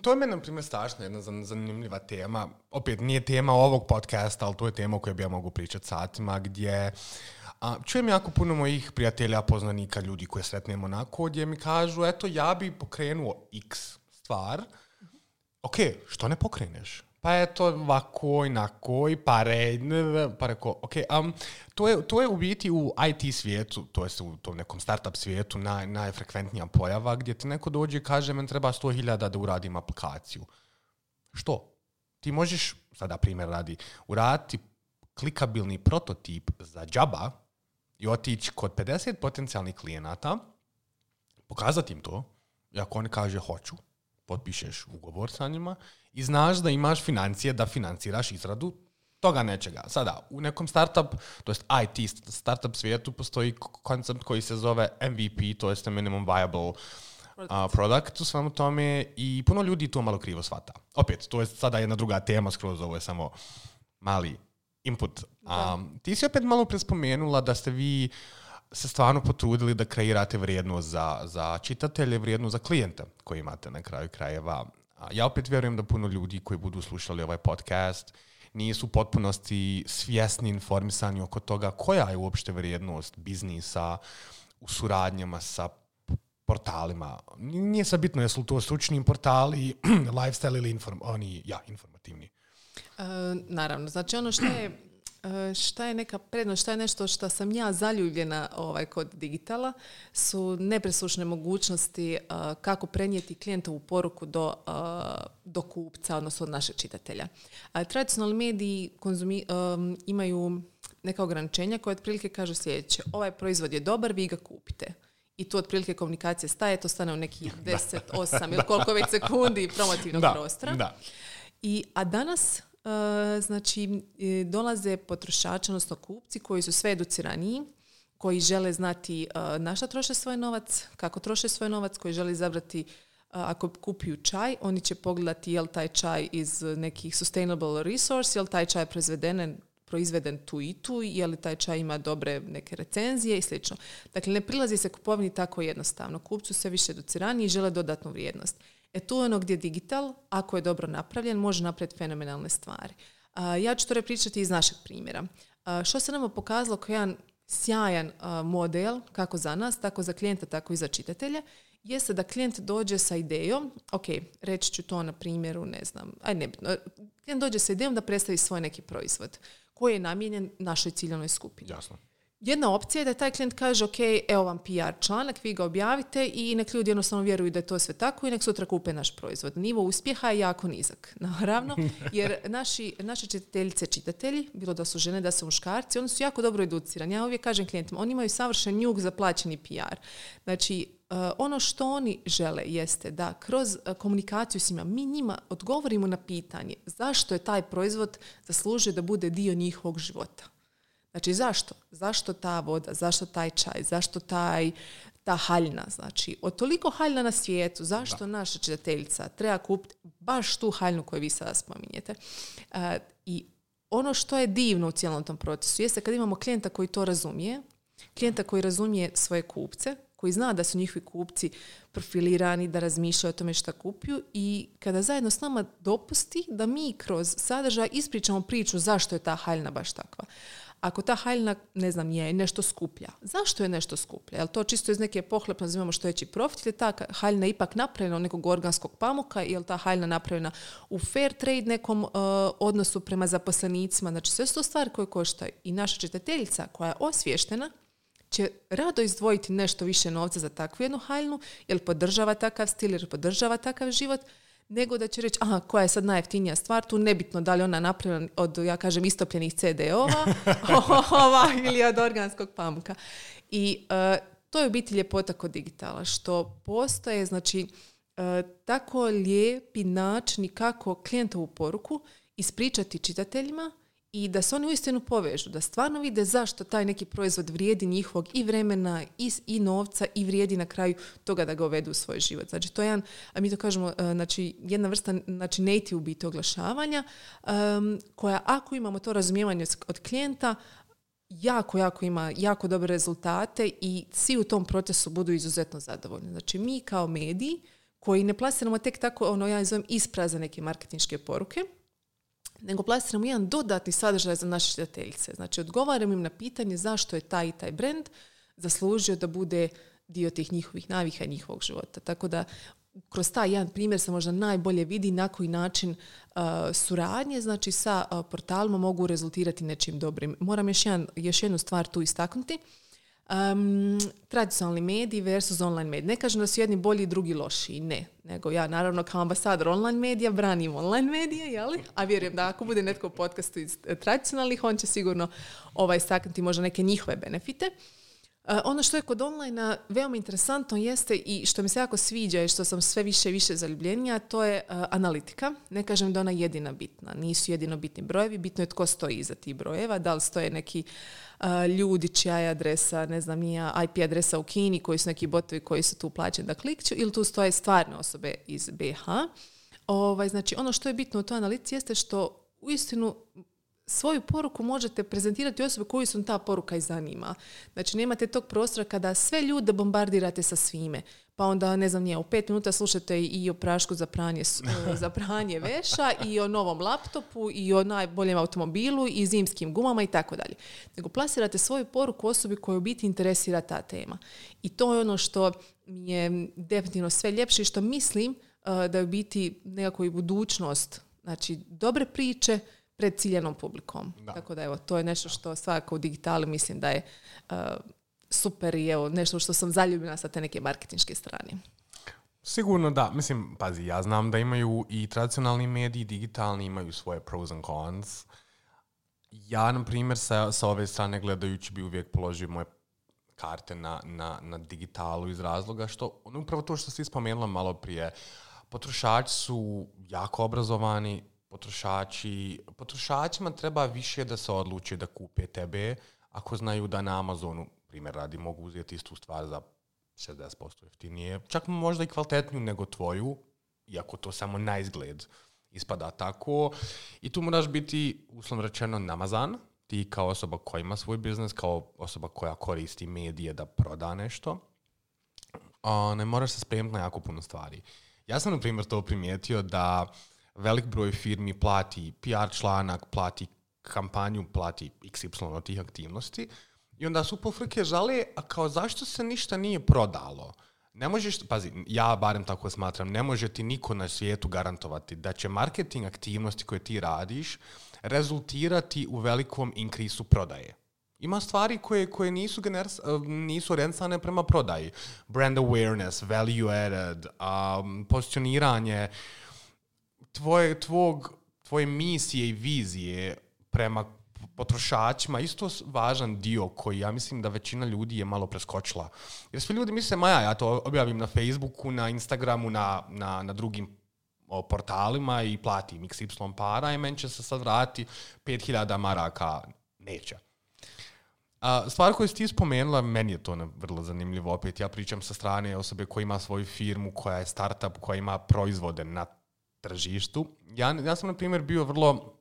To je meni, na primjer, strašno jedna zanimljiva tema. Opet, nije tema ovog podcasta, ali to je tema o kojoj bi ja mogu pričati satima, gdje čujem jako puno mojih prijatelja, poznanika, ljudi koje sretnemo onako, gdje mi kažu, ja bi pokrenuo X stvar. Ok, što ne pokreneš? Pa eto, ovako, inako, i pare, ok. To je u biti u IT svijetu, to je u tom nekom startup svijetu najfrekventnija pojava, gdje ti neko dođe i kaže, men treba 100.000 da uradim aplikaciju. Što? Ti možeš, sada primjer radi, uraditi klikabilni prototip za džaba i otići kod 50 potencijalnih klijenata, pokazati im to, i ako oni kaže hoću, potpišeš ugovor sa njima i znaš da imaš financije da financiraš izradu toga nečega. Sada, u nekom startup, to jest IT startup svijetu, postoji koncept koji se zove MVP, to jest minimum viable product u svemu tome, i puno ljudi to malo krivo shvata. Opet, to je sada jedna druga tema skroz, ovo je samo mali input. Ti si opet malo prespomenula da ste vi se stvarno potrudili da kreirate vrijednost za čitatelje, vrijednost za klijente koji imate na kraju krajeva. Ja opet vjerujem da puno ljudi koji budu slušali ovaj podcast nisu u potpunosti svjesni, informisani oko toga koja je uopšte vrijednost biznisa u suradnjama sa portalima. Nije sad bitno jesu li to stručni portali, lifestyle ili informativni. Naravno, znači ono šta je neka prednost, šta je nešto što sam ja zaljubljena kod digitala, su nepresušne mogućnosti kako prenijeti klijentovu poruku do kupca, odnosno od našeg čitatelja. Tradicionalni mediji imaju neka ograničenja koje otprilike kažu sljedeće: ovaj proizvod je dobar, vi ga kupite. I tu otprilike komunikacije staje, to stane u nekih 10, 8 ili koliko već sekundi promotivnog prostora. A danas dolaze potrošači, odnosno kupci koji su sve educiraniji, koji žele znati na šta troše svoj novac, kako troše svoj novac, koji žele izabrati ako kupuju čaj, oni će pogledati je li taj čaj iz nekih sustainable resource, je li taj čaj proizveden tu i tu, je li taj čaj ima dobre neke recenzije i slično. Dakle, ne prilazi se kupovini tako jednostavno. Kupcu sve više educiraniji i žele dodatnu vrijednost. Tu je ono gdje digital, ako je dobro napravljen, može napraviti fenomenalne stvari. Ja ću to pričati iz našeg primjera. Što se nama pokazalo kao jedan sjajan model, kako za nas, tako za klijenta, tako i za čitatelje, jeste da klijent dođe sa idejom, ok, reći ću to na primjeru, ne znam, nebitno, klijent dođe sa idejom da predstavi svoj neki proizvod koji je namijenjen našoj ciljanoj skupini. Jasno. Jedna opcija je da taj klijent kaže, ok, evo vam PR članak, vi ga objavite i nek ljudi jednostavno vjeruju da je to sve tako i nek sutra kupe naš proizvod. Nivo uspjeha je jako nizak, naravno, jer naše čitateljice, čitatelji, bilo da su žene, da su muškarci, oni su jako dobro educirani. Ja uvijek kažem klijentima, oni imaju savršen njug za plaćeni PR. Znači, ono što oni žele jeste da kroz komunikaciju s njima, mi njima odgovorimo na pitanje zašto je taj proizvod zaslužio da bude dio njihovog života. Znači, zašto? Zašto ta voda? Zašto taj čaj? Zašto ta haljina? Znači, od toliko haljina na svijetu, zašto naša čitateljica treba kupiti baš tu haljinu koju vi sada spominjete? I ono što je divno u cijelom tom procesu jeste kad imamo klijenta koji to razumije, klijenta koji razumije svoje kupce, koji zna da su njihovi kupci profilirani, da razmišljaju o tome šta kupuju i kada zajedno s nama dopusti da mi kroz sadržaj ispričamo priču zašto je ta haljina baš takva. Ako ta haljina, ne znam, je nešto skuplja, zašto je nešto skuplja? Je li to čisto iz neke pohlepno nazivamo što veći profit ili ta haljina ipak napravljena od nekog organskog pamuka, je li ta haljina napravljena u fair trade nekom odnosu prema zaposlenicima? Znači, sve su to stvari koje koštaju. I naša čitateljica koja je osviještena će rado izdvojiti nešto više novca za takvu jednu haljinu, jer podržava takav stil, jer podržava takav život, nego da će reći, aha, koja je sad najjeftinija stvar, tu nebitno da li ona napravljena od, ja kažem, istopljenih CD-ova ili od organskog pamuka. I to je u biti ljepota kod digitala, što postoje, znači, tako lijepi način kako klijentovu poruku ispričati čitateljima i da se oni uistinu povežu, da stvarno vide zašto taj neki proizvod vrijedi njihovog i vremena i novca i vrijedi na kraju toga da ga uvedu u svoj život. Znači, to je jedan, mi to kažemo, znači, jedna vrsta, znači, native u biti oglašavanja, koja ako imamo to razumijevanje od klijenta, jako ima jako dobre rezultate i svi u tom procesu budu izuzetno zadovoljni. Znači, mi kao mediji koji ne plasiramo tek tako, ja zovem isprazne neke marketinške poruke, nego plasiramo jedan dodatni sadržaj za naše čitateljice. Znači, odgovaramo im na pitanje zašto je taj i taj brand zaslužio da bude dio tih njihovih navika i njihovog života. Tako da, kroz taj jedan primjer se možda najbolje vidi na koji način suradnje, znači, sa portalima mogu rezultirati nečim dobrim. Moram još jednu stvar tu istaknuti. Tradicionalni mediji versus online mediji. Ne kažem da su jedni bolji i drugi lošiji, ne. Nego ja, naravno, kao ambasador online medija branim online medije, jeli? A vjerujem da ako bude netko u podcastu iz tradicionalnih, on će sigurno istaknuti možda neke njihove benefite. Ono što je kod online veoma interesantno jeste i što mi se jako sviđa i što sam sve više i više zaljubljenija, to je analitika. Ne kažem da ona je jedina bitna. Nisu jedino bitni brojevi, bitno je tko stoji iza tih brojeva. Da li stoje neki ljudi čija je adresa, ne znam, IP adresa u Kini, koji su neki botovi koji su tu plaćeni da klikću, ili tu stoje stvarne osobe iz BiH. Znači, ono što je bitno u toj analitici jeste što uistinu svoju poruku možete prezentirati osobe koju su ta poruka i zanima. Znači, nemate tog prostora kada sve ljude bombardirate sa svime. Pa onda, ne znam, u 5 minuta slušate i o prašku za pranje veša i o novom laptopu i o najboljem automobilu i zimskim gumama i tako dalje. Nego plasirate svoju poruku osobi koju u biti interesira ta tema. I to je ono što mi je definitivno sve ljepše i što mislim da je u biti nekako i budućnost. Znači, dobre priče pred ciljanom publikom. Da. Tako da, evo, to je nešto što svakako u digitali mislim da je super i evo, nešto što sam zaljubljena sa te neke marketinške strane. Sigurno da. Mislim, pazi, ja znam da imaju i tradicionalni mediji, digitalni, imaju svoje pros and cons. Ja, na primjer, sa ove strane gledajući bi uvijek položio moje karte na digitalu iz razloga što, upravo to što si spomenula malo prije, potrošači su jako obrazovani, potrošačima treba više da se odluče da kupe tebe ako znaju da na Amazonu, primjer radi, mogu uzeti istu stvar za 60% jeftinije, čak možda i kvalitetniju nego tvoju, iako to samo na izgled ispada tako. I tu moraš biti, uslovno rečeno, namazan, ti kao osoba koja ima svoj biznis, kao osoba koja koristi medije da proda nešto. Ne moraš se spremiti na jako puno stvari. Ja sam, na primjer, to primijetio da velik broj firmi plati PR članak, plati kampanju, plati XY od tih aktivnosti i onda su po frke žale, a kao zašto se ništa nije prodalo? Ne možeš, pazi, ja barem tako smatram, ne može ti niko na svijetu garantovati da će marketing aktivnosti koje ti radiš rezultirati u velikom inkrisu prodaje. Ima stvari koje nisu orijentisane prema prodaji. Brand awareness, value added, pozicioniranje, tvoje misije i vizije prema potrošačima, isto važan dio koji ja mislim da većina ljudi je malo preskočila. Jer svi ljudi misle, ja to objavim na Facebooku, na Instagramu, na drugim portalima i platim XY para i meni će se sad vratiti 5.000 maraka. Neće. Stvar koju si ti spomenula, meni je to vrlo zanimljivo. Opet ja pričam sa strane osobe koja ima svoju firmu, koja je startup, koja ima proizvode na tržištu. Ja sam, na primjer, bio vrlo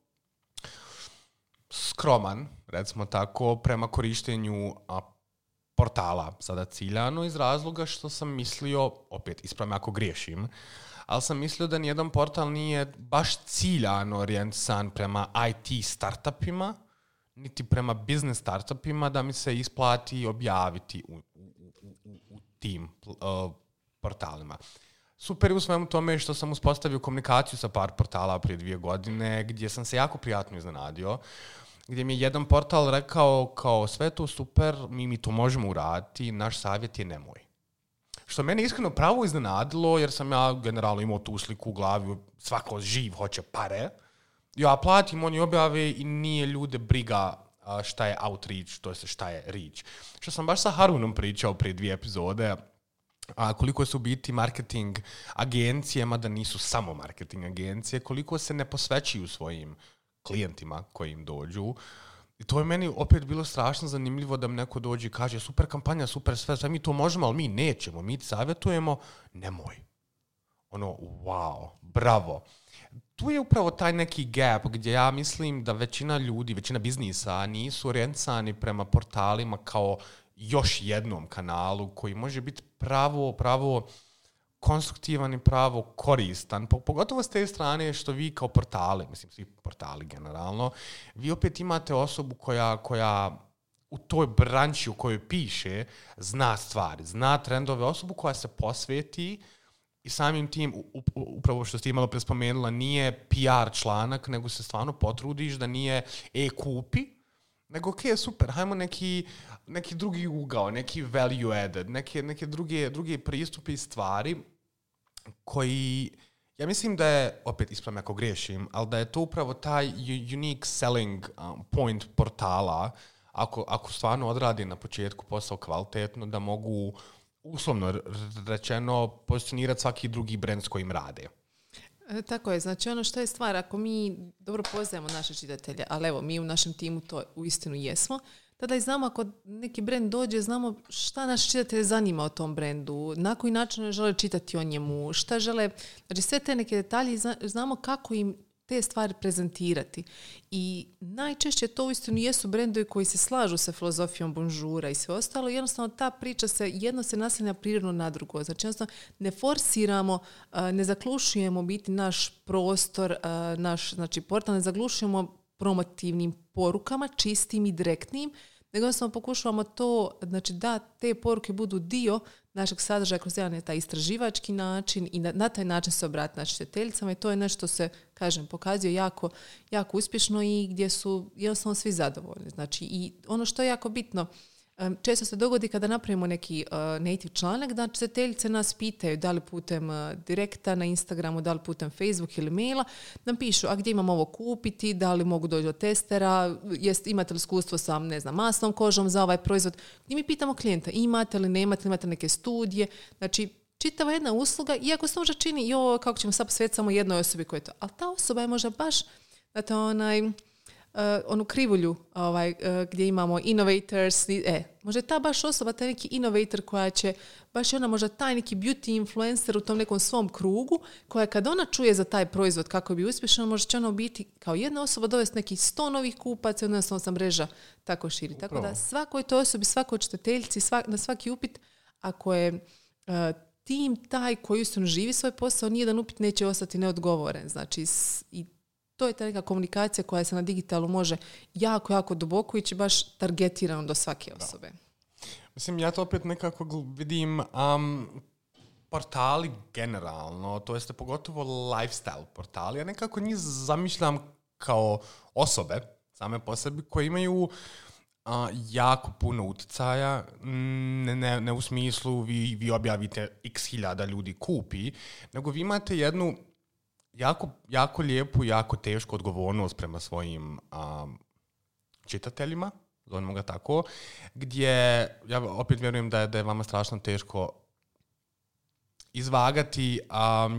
skroman, recimo tako, prema korištenju portala, sada ciljano, iz razloga što sam mislio, opet, ispravim ako griješim, ali sam mislio da nijedan portal nije baš ciljano orijentisan prema IT startupima, niti prema business startupima, da mi se isplati objaviti u tim portalima. Super u svemu tome što sam uspostavio komunikaciju sa par portala prije 2 godine, gdje sam se jako prijatno iznenadio, gdje mi je jedan portal rekao kao sve to super, mi to možemo uraditi, naš savjet je nemoj. Što mene iskreno pravo iznenadilo, jer sam ja generalno imao tu sliku u glavi, svako živ hoće pare. Ja platim, oni objave i nije ljude briga šta je outreach, to je šta je reach. Što sam baš sa Harunom pričao prije 2 epizode, koliko su biti marketing agencije, mada nisu samo marketing agencije, koliko se ne posvećuju svojim klijentima koji im dođu. I to je meni opet bilo strašno zanimljivo da mi neko dođe i kaže super kampanja, super sve mi to možemo, ali mi nećemo, mi ti savjetujemo, nemoj. Wow, bravo. Tu je upravo taj neki gap gdje ja mislim da većina ljudi, većina biznisa nisu orijentisani prema portalima kao još jednom kanalu koji može biti pravo konstruktivan i pravo koristan. Pogotovo s te strane što vi kao portali, mislim svi portali generalno, vi opet imate osobu koja u toj branči u kojoj piše zna stvari, zna trendove, osobu koja se posveti i samim tim, upravo što ste malo prespomenula, nije PR članak, nego se stvarno potrudiš da nije kupi, nego super, hajmo neki drugi ugao, neki value added, neke druge pristupe i stvari koji, ja mislim da je, opet ispravim ako griješim, ali da je to upravo taj unique selling point portala, ako stvarno odradi na početku posao kvalitetno, da mogu uslovno rečeno pozicionirati svaki drugi brand s kojim rade. Tako je, znači ono što je stvar, ako mi dobro poznajemo naše čitatelje, ali evo, mi u našem timu to uistinu jesmo, tada i znamo ako neki brand dođe, znamo šta naš čitatelj zanima o tom brendu, na koji način žele čitati o njemu, šta žele, znači sve te neke detalje, znamo kako im te stvari prezentirati. I najčešće to uistinu jesu brendovi koji se slažu sa filozofijom Bonjoura i sve ostalo. Jednostavno ta priča jedno se naslanja prirodno na drugo. Znači jednostavno ne forsiramo, ne zaklušujemo biti naš prostor, naš portal, ne zaglušujemo promotivnim porukama, čistim i direktnim, nego jednostavno pokušavamo to, znači da te poruke budu dio našeg sadržaja kroz jedan taj istraživački način i na taj način se obratiti našim čitateljicama i to je nešto se, kažem, pokazuje jako, jako uspješno i gdje su jednostavno svi zadovoljni. Znači i ono što je jako bitno, često se dogodi kada napravimo neki native članak, da čitateljice nas pitaju da li putem direkta na Instagramu, da li putem Facebook ili maila, nam pišu, a gdje imam ovo kupiti, da li mogu doći do testera, imate li iskustvo sa, masnom kožom za ovaj proizvod. I mi pitamo klijenta, imate li, nemate neke studije, znači čitava jedna usluga, iako se možda čini, kako ćemo sad posvetiti samo jednoj osobi koja je to, ali ta osoba je možda baš, onu krivulju gdje imamo innovators, možda je ta baš osoba, taj neki innovator koja će, baš je ona možda taj neki beauty influencer u tom nekom svom krugu, koja kad ona čuje za taj proizvod kako bi uspješno, možda će ona biti kao jedna osoba dovesti nekih 100 novih kupaca i jednostavno se mreža tako širi. Upravo. Tako da svakoj toj osobi, svakoj čitateljici, na svaki upit, ako je tim taj koji uistinu živi svoj posao, nijedan upit neće ostati neodgovoren. Znači, i to je ta neka komunikacija koja se na digitalu može jako, jako duboko ići baš targetirano do svake osobe. Mislim, ja to opet nekako vidim portali generalno, to jeste pogotovo lifestyle portali, ja nekako njih zamišljam kao osobe, same po sebi, koje imaju jako puno utjecaja, ne u smislu vi objavite x hiljada ljudi kupi, nego vi imate jednu jako, jako lijepu, jako tešku odgovornost prema svojim čitateljima, zovemo ga tako, gdje ja opet vjerujem da je vama strašno teško izvagati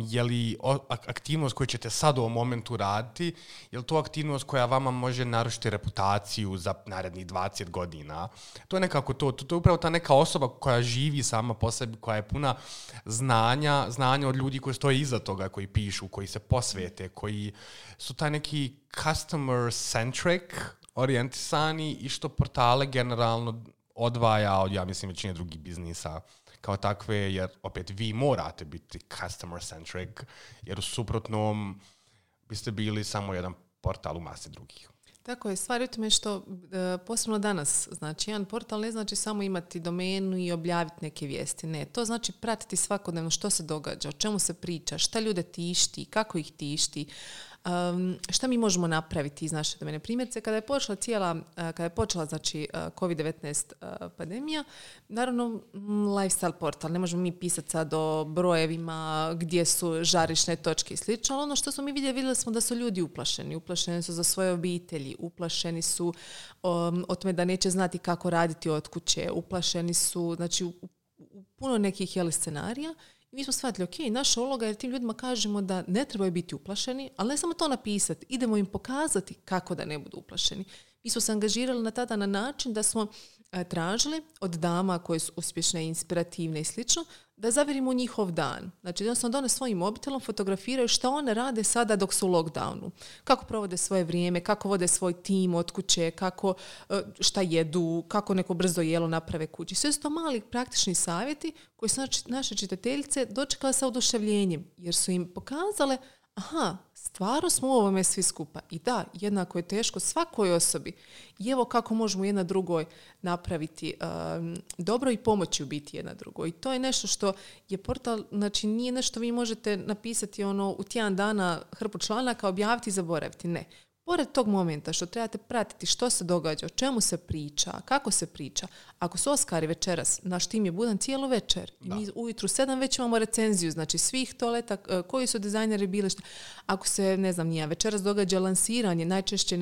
je li aktivnost koju ćete sad u ovom momentu raditi, je li to aktivnost koja vama može narušiti reputaciju za narednih 20 godina. To je nekako to je upravo ta neka osoba koja živi sama po sebi, koja je puna znanja od ljudi koji stoje iza toga, koji pišu, koji se posvete, koji su taj neki customer centric orijentisani i što portale generalno odvaja od, ja mislim, većine drugih biznisa kao takve, jer opet vi morate biti customer centric, jer u suprotnom biste bili samo jedan portal u masi drugih. Tako je, stvar je u tome što posebno danas, znači jedan portal ne znači samo imati domenu i objaviti neke vijesti, ne, to znači pratiti svakodnevno što se događa, o čemu se priča, šta ljude tišti, kako ih tišti, šta mi možemo napraviti iz naše domene. Primjerice, kada je počela znači COVID-19 pandemija, naravno lifestyle portal, ne možemo mi pisati sad o brojevima gdje su žarišne točke i slično, ali ono što smo mi vidjeli smo da su ljudi uplašeni su za svoje obitelji, uplašeni su o tome da neće znati kako raditi od kuće, uplašeni su, znači u puno nekih scenarija. I mi smo shvatili, ok, naša uloga je tim ljudima kažemo da ne trebaju biti uplašeni, ali ne samo to napisati, idemo im pokazati kako da ne budu uplašeni. Mi smo se angažirali tada na način da smo tražili od dama koje su uspješne, inspirativne i slično, da zavirimo njihov dan. Znači, jednostavno one svojim mobitelom fotografiraju šta one rade sada dok su u lockdownu. Kako provode svoje vrijeme, kako vode svoj tim od kuće, šta jedu, kako neko brzo jelo naprave kući. Sve su to mali praktični savjeti koji su naše čitateljice dočekale sa oduševljenjem, jer su im pokazale stvarno smo u ovome svi skupa. I da, jednako je teško svakoj osobi. I evo kako možemo jedna drugoj napraviti dobro i pomoći u biti jedna drugoj. I to je nešto što je portal, znači nije nešto vi možete napisati u tjedan dana hrpu članaka, objaviti i zaboraviti. Ne. Pored tog momenta što trebate pratiti što se događa, o čemu se priča, kako se priča. Ako su Oskari večeras, naš tim je budan cijelu večer. I mi ujutru 7 već imamo recenziju, znači svih toaleta, koji su dizajneri bili. Ako se, večeras događa lansiranje, najčešće,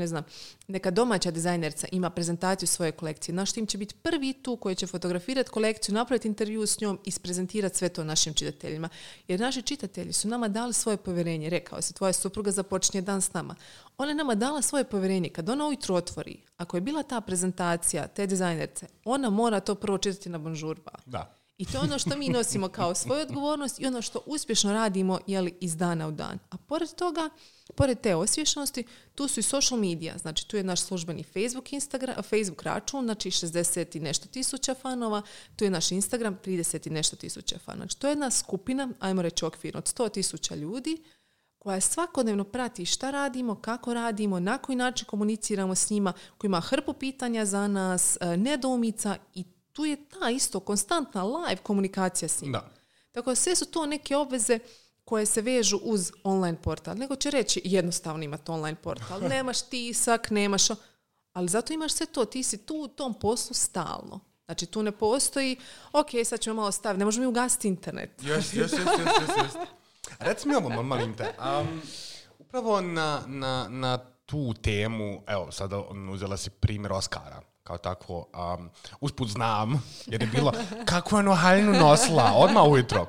neka domaća dizajnerca ima prezentaciju svoje kolekcije. Naš tim će biti prvi tu koji će fotografirati kolekciju, napraviti intervju s njom i isprezentirati sve to našim čitateljima. Jer naši čitatelji su nama dali svoje povjerenje. Rekao se, tvoja supruga započinje dan s nama. Ona je nama dala svoje povjerenje. Kad ona ujutru otvori, ako je bila ta prezentacija te dizajnerce, ona mora to prvo čitati na Bonjour Ba. Da. I to je ono što mi nosimo kao svoju odgovornost i ono što uspješno radimo iz dana u dan. A pored toga, pored te osviještenosti, tu su i social media. Znači, tu je naš službeni Facebook račun, znači 60 i nešto tisuća fanova. Tu je naš Instagram, 30 i nešto tisuća fanova. Znači, to je jedna skupina, ajmo reći okvirno, od 100,000 ljudi koja svakodnevno prati šta radimo, kako radimo, na koji način komuniciramo s njima, koji ima hrpu pitanja za nas, nedoumica i tu je ta isto konstantna live komunikacija s njima. Da. Tako da sve su to neke obveze koje se vežu uz online portal. Nego će reći jednostavno imati online portal. Nemaš tisak, ali zato imaš sve to. Ti si tu u tom poslu stalno. Znači tu ne postoji, ok, sad ćemo malo staviti, ne možemo mi ugasiti internet. Yes. Reci mi ovo, molim te. Upravo na tu temu, evo, sada uzela si primjer Oskara. Kao tako, usput znam, jer je bilo kako je ono haljinu nosila, odmah ujutro.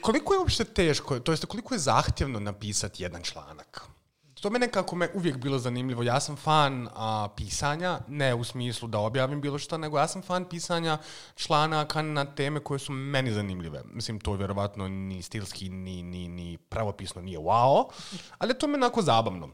Koliko je uopšte teško, to jest koliko je zahtjevno napisati jedan članak? To me nekako uvijek bilo zanimljivo. Ja sam fan pisanja, ne u smislu da objavim bilo što, nego ja sam fan pisanja članaka na teme koje su meni zanimljive. Mislim, to vjerovatno ni stilski, ni pravopisno nije wow, ali to me onako zabavno.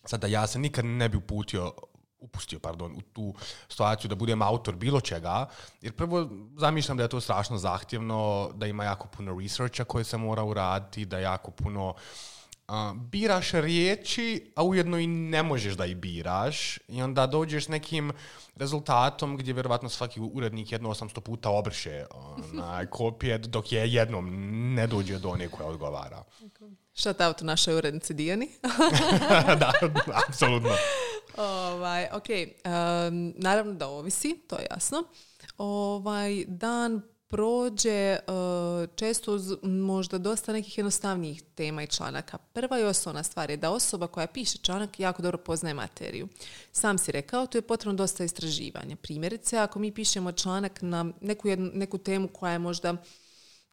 Sada, ja se nikad ne bi upustio u tu situaciju da budem autor bilo čega, jer prvo zamišljam da je to strašno zahtjevno, da ima jako puno researcha koje se mora uraditi, da jako puno biraš riječi, a ujedno i ne možeš da ih biraš i onda dođeš s nekim rezultatom gdje vjerovatno svaki urednik 800 puta obriše kopije, dok je jednom ne dođe do one koja odgovara. Shout out našoj urednici Dijani. Da, apsolutno. Naravno da ovisi, to je jasno. Dan prođe često uz možda dosta nekih jednostavnijih tema i članaka. Prva i osnovna stvar je da osoba koja piše članak jako dobro poznaje materiju. Sam si rekao, tu je potrebno dosta istraživanja. Primjerice, ako mi pišemo članak na neku temu koja je možda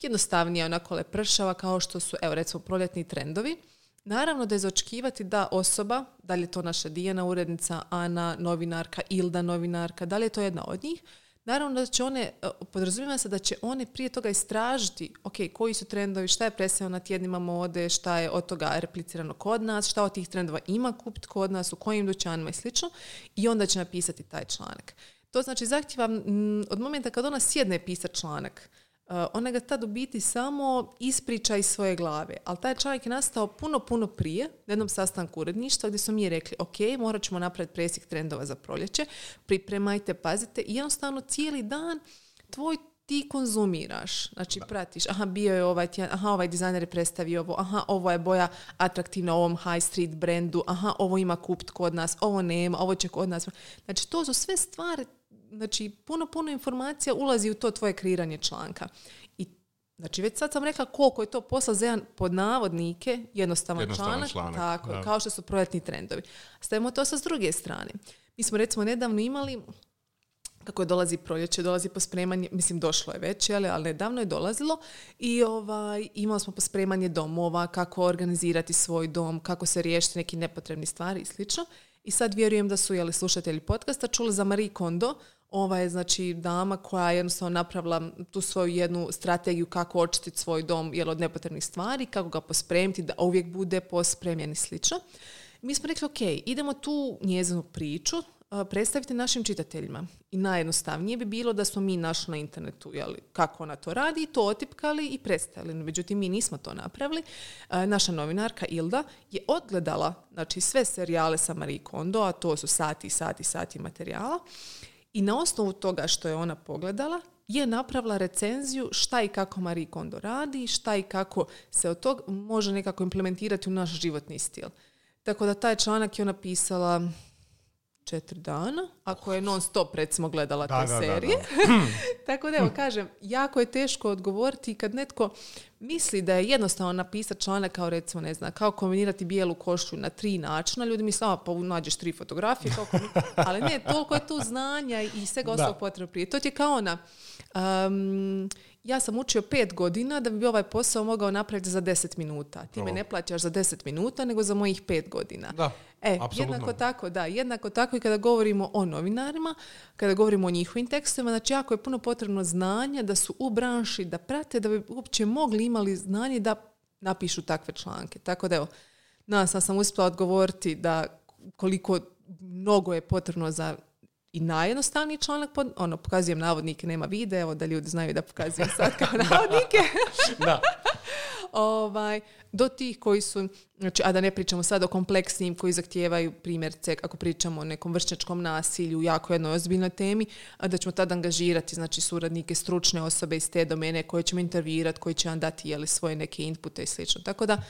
jednostavnija, onako lepršava, kao što su, recimo, proljetni trendovi, naravno da je za očekivati da osoba, da li je to naša Dijana urednica, Ana novinarka, Ilda novinarka, da li je to jedna od njih, naravno da će one, podrazumijeva se da će one prije toga istražiti koji su trendovi, šta je predstavljeno na tjednima mode, šta je od toga replicirano kod nas, šta od tih trendova ima kupiti kod nas, u kojim dućanima i slično, i onda će napisati taj članak. To znači zahtjeva od momenta kad ona sjedne pisati članak, ona ga tad u biti samo ispriča iz svoje glave. Ali taj članak je nastao puno prije, na jednom sastanku uredništva gdje su mi rekli, morat ćemo napraviti presjek trendova za proljeće, pripremajte, pazite, i jednostavno cijeli dan ti konzumiraš. Znači pratiš, bio je ovaj tjedan, ovaj dizajner je predstavio ovo, ovo je boja atraktivna ovom high street brandu, ovo ima kupit kod nas, ovo nema, ovo će kod nas. Znači to su sve stvari. Znači, puno informacija ulazi u to tvoje kreiranje članka. I, znači, već sad sam rekla koliko je to posla za jedan, pod navodnike, jednostavan članak. Tako, kao što su proljetni trendovi. Stavimo to sa s druge strane. Mi smo, recimo, nedavno imali, kako je dolazi proljeće, dolazi pospremanje, mislim, došlo je već, ali nedavno je dolazilo, i imali smo pospremanje domova, kako organizirati svoj dom, kako se riješiti neki nepotrebni stvari i slično. I sad vjerujem da su slušatelji podcasta čuli za Marie Kondo. Ova je, znači, dama koja je jednostavno napravila tu svoju jednu strategiju kako očistiti svoj dom od nepotrebnih stvari, kako ga pospremiti da uvijek bude pospremljen i slično. Mi smo rekli, idemo tu njezinu priču predstaviti našim čitateljima. I najjednostavnije bi bilo da smo mi našli na internetu kako ona to radi, to otipkali i predstavili. Međutim, mi nismo to napravili. Naša novinarka Ilda je odgledala, znači, sve serijale sa Marie Kondo, a to su sati materijala. I na osnovu toga što je ona pogledala, je napravila recenziju šta i kako Marie Kondo radi, šta i kako se od tog može nekako implementirati u naš životni stil. Tako da taj članak je ona pisala 4 dana, ako je non stop, recimo, gledala te serije. Tako da, kažem, jako je teško odgovoriti kad netko misli da je jednostavno napisati članak kao, recimo, ne znam, kao kombinirati bijelu košulju na 3 načina. Ljudi misle, pa nađeš 3 fotografije, ali ne, toliko je tu znanja i svega ostalog potrebno prije. To ti je kao ona, ja sam učio 5 godina da bi ovaj posao mogao napraviti za 10 minuta. Ti me ne plaćaš za 10 minuta, nego za mojih 5 godina. Da, jednako tako i kada govorimo o novinarima, kada govorimo o njihovim tekstovima, znači jako je puno potrebno znanja da su u branši, da prate, da bi uopće imali znanje da napišu takve članke. Tako da, sam uspjela odgovoriti da koliko mnogo je potrebno za i najjednostavniji članak, pokazujem navodnike, nema videa, da ljudi znaju da pokazujem sad kao navodnike. Da. Do tih koji su, znači, a da ne pričamo sad o kompleksnim koji zahtijevaju, primjerce, ako pričamo o nekom vršnjačkom nasilju, jako jednoj ozbiljnoj temi, a da ćemo tad angažirati, znači, suradnike, stručne osobe iz te domene koje ćemo intervjuirati, koji će vam dati svoje neke inpute i slično. Tako da,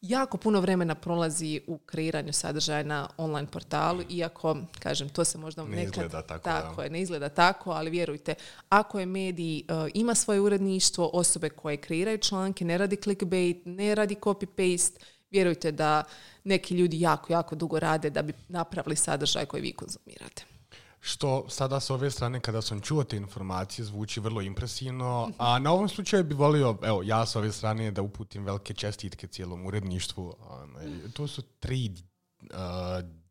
jako puno vremena prolazi u kreiranju sadržaja na online portalu, iako, kažem, to se možda ne izgleda tako. Ne izgleda tako, ali vjerujte, ako je medij ima svoje uredništvo, osobe koje kreiraju članke, ne radi clickbait, ne radi copy-paste, vjerujte da neki ljudi jako dugo rade da bi napravili sadržaj koji vi konzumirate. Što sada s ove strane, kada sam čuo te informacije, zvuči vrlo impresivno, a na ovom slučaju bi volio, ja s ove strane, da uputim velike čestitke cijelom uredništvu. To su 3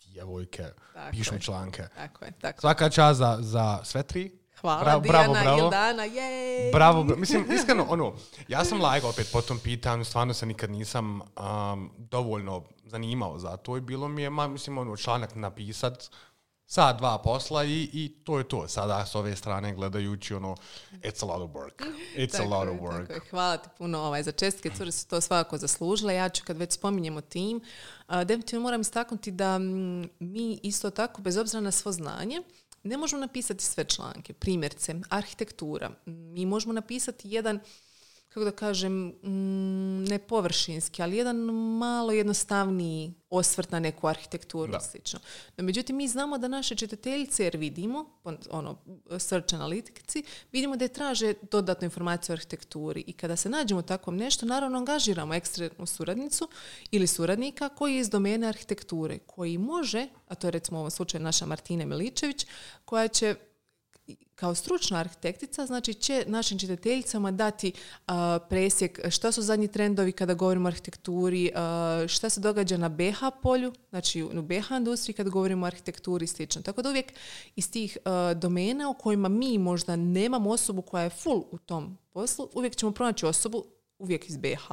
djevojke pišu članke. Tako je. Svaka čast za sve tri. Hvala, Dijana, Ildana, jej! Bravo. Mislim, iskreno, ja sam opet po tom pitanju, stvarno se nikad nisam dovoljno zanimao za to i bilo mi je, članak napisat, sat, dva posla i to je to. Sada s ove strane gledajući, it's a lot of work. It's a lot of work. Tako je. Hvala ti puno za čestitke, cure su to svakako zaslužile. Ja ću, kad već spominjemo tim, definitivno moram istaknuti da mi isto tako, bez obzira na svo znanje, ne možemo napisati sve članke. Primjerce, arhitektura. Mi možemo napisati jedan, kako da kažem, ne površinski, ali jedan malo jednostavniji osvrt na neku arhitekturu i slično. No, međutim, mi znamo da naše čitateljice, jer vidimo, search analitici, vidimo da je traže dodatnu informaciju o arhitekturi i kada se nađemo u takvom nešto, naravno angažiramo eksternu suradnicu ili suradnika koji je iz domene arhitekture, koji može, a to je recimo u ovom slučaju naša Martina Miličević, koja će kao stručna arhitektica, znači će našim čitateljicama dati presjek šta su zadnji trendovi kada govorimo o arhitekturi, šta se događa na BH polju, znači u BH industriji kada govorimo o arhitekturi i slično. Tako da uvijek iz tih domena u kojima mi možda nemamo osobu koja je full u tom poslu, uvijek ćemo pronaći osobu, uvijek iz BH,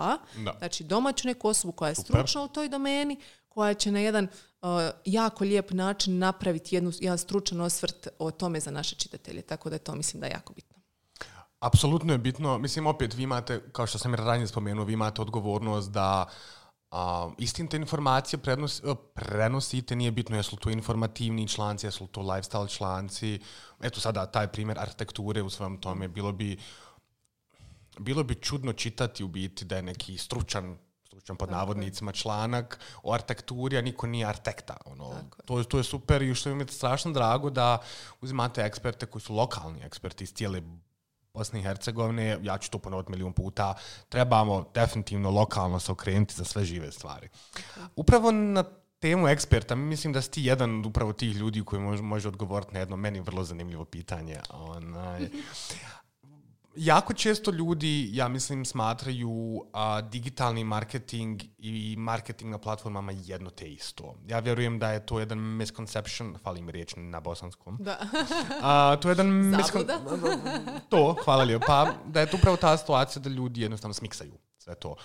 znači domaću neku osobu koja je stručna u toj domeni, koja će na jedan jako lijep način napraviti jedan stručan osvrt o tome za naše čitatelje. Tako da to mislim da je jako bitno. Apsolutno je bitno. Mislim, opet vi imate, kao što sam i ranije spomenuo, vi imate odgovornost da istinite informacije prenosite, nije bitno jesu li to informativni članci, jesu li to lifestyle članci. Eto sada taj primjer arhitekture u svom tome. Bilo bi čudno čitati u biti da je neki stručan pod navodnicima članak o arhitekturi, a niko nije arhitekta. To je super i što mi je strašno drago da uzimate eksperte koji su lokalni eksperti iz cijele Bosne i Hercegovine. Ja ću to ponoviti 1.000.000 puta. Trebamo definitivno lokalno se okrenuti za sve žive stvari. Upravo na temu eksperta, mislim da si ti jedan od upravo tih ljudi koji može odgovoriti na jedno meni vrlo zanimljivo pitanje. Jako često ljudi, ja mislim, smatraju digitalni marketing i marketing na platformama jedno te isto. Ja vjerujem da je to jedan misconception, fali mi riječ na bosanskom. Da. To je jedan to, hvala lijepo. Pa da je to upravo ta situacija da ljudi jednostavno smiksaju sve to.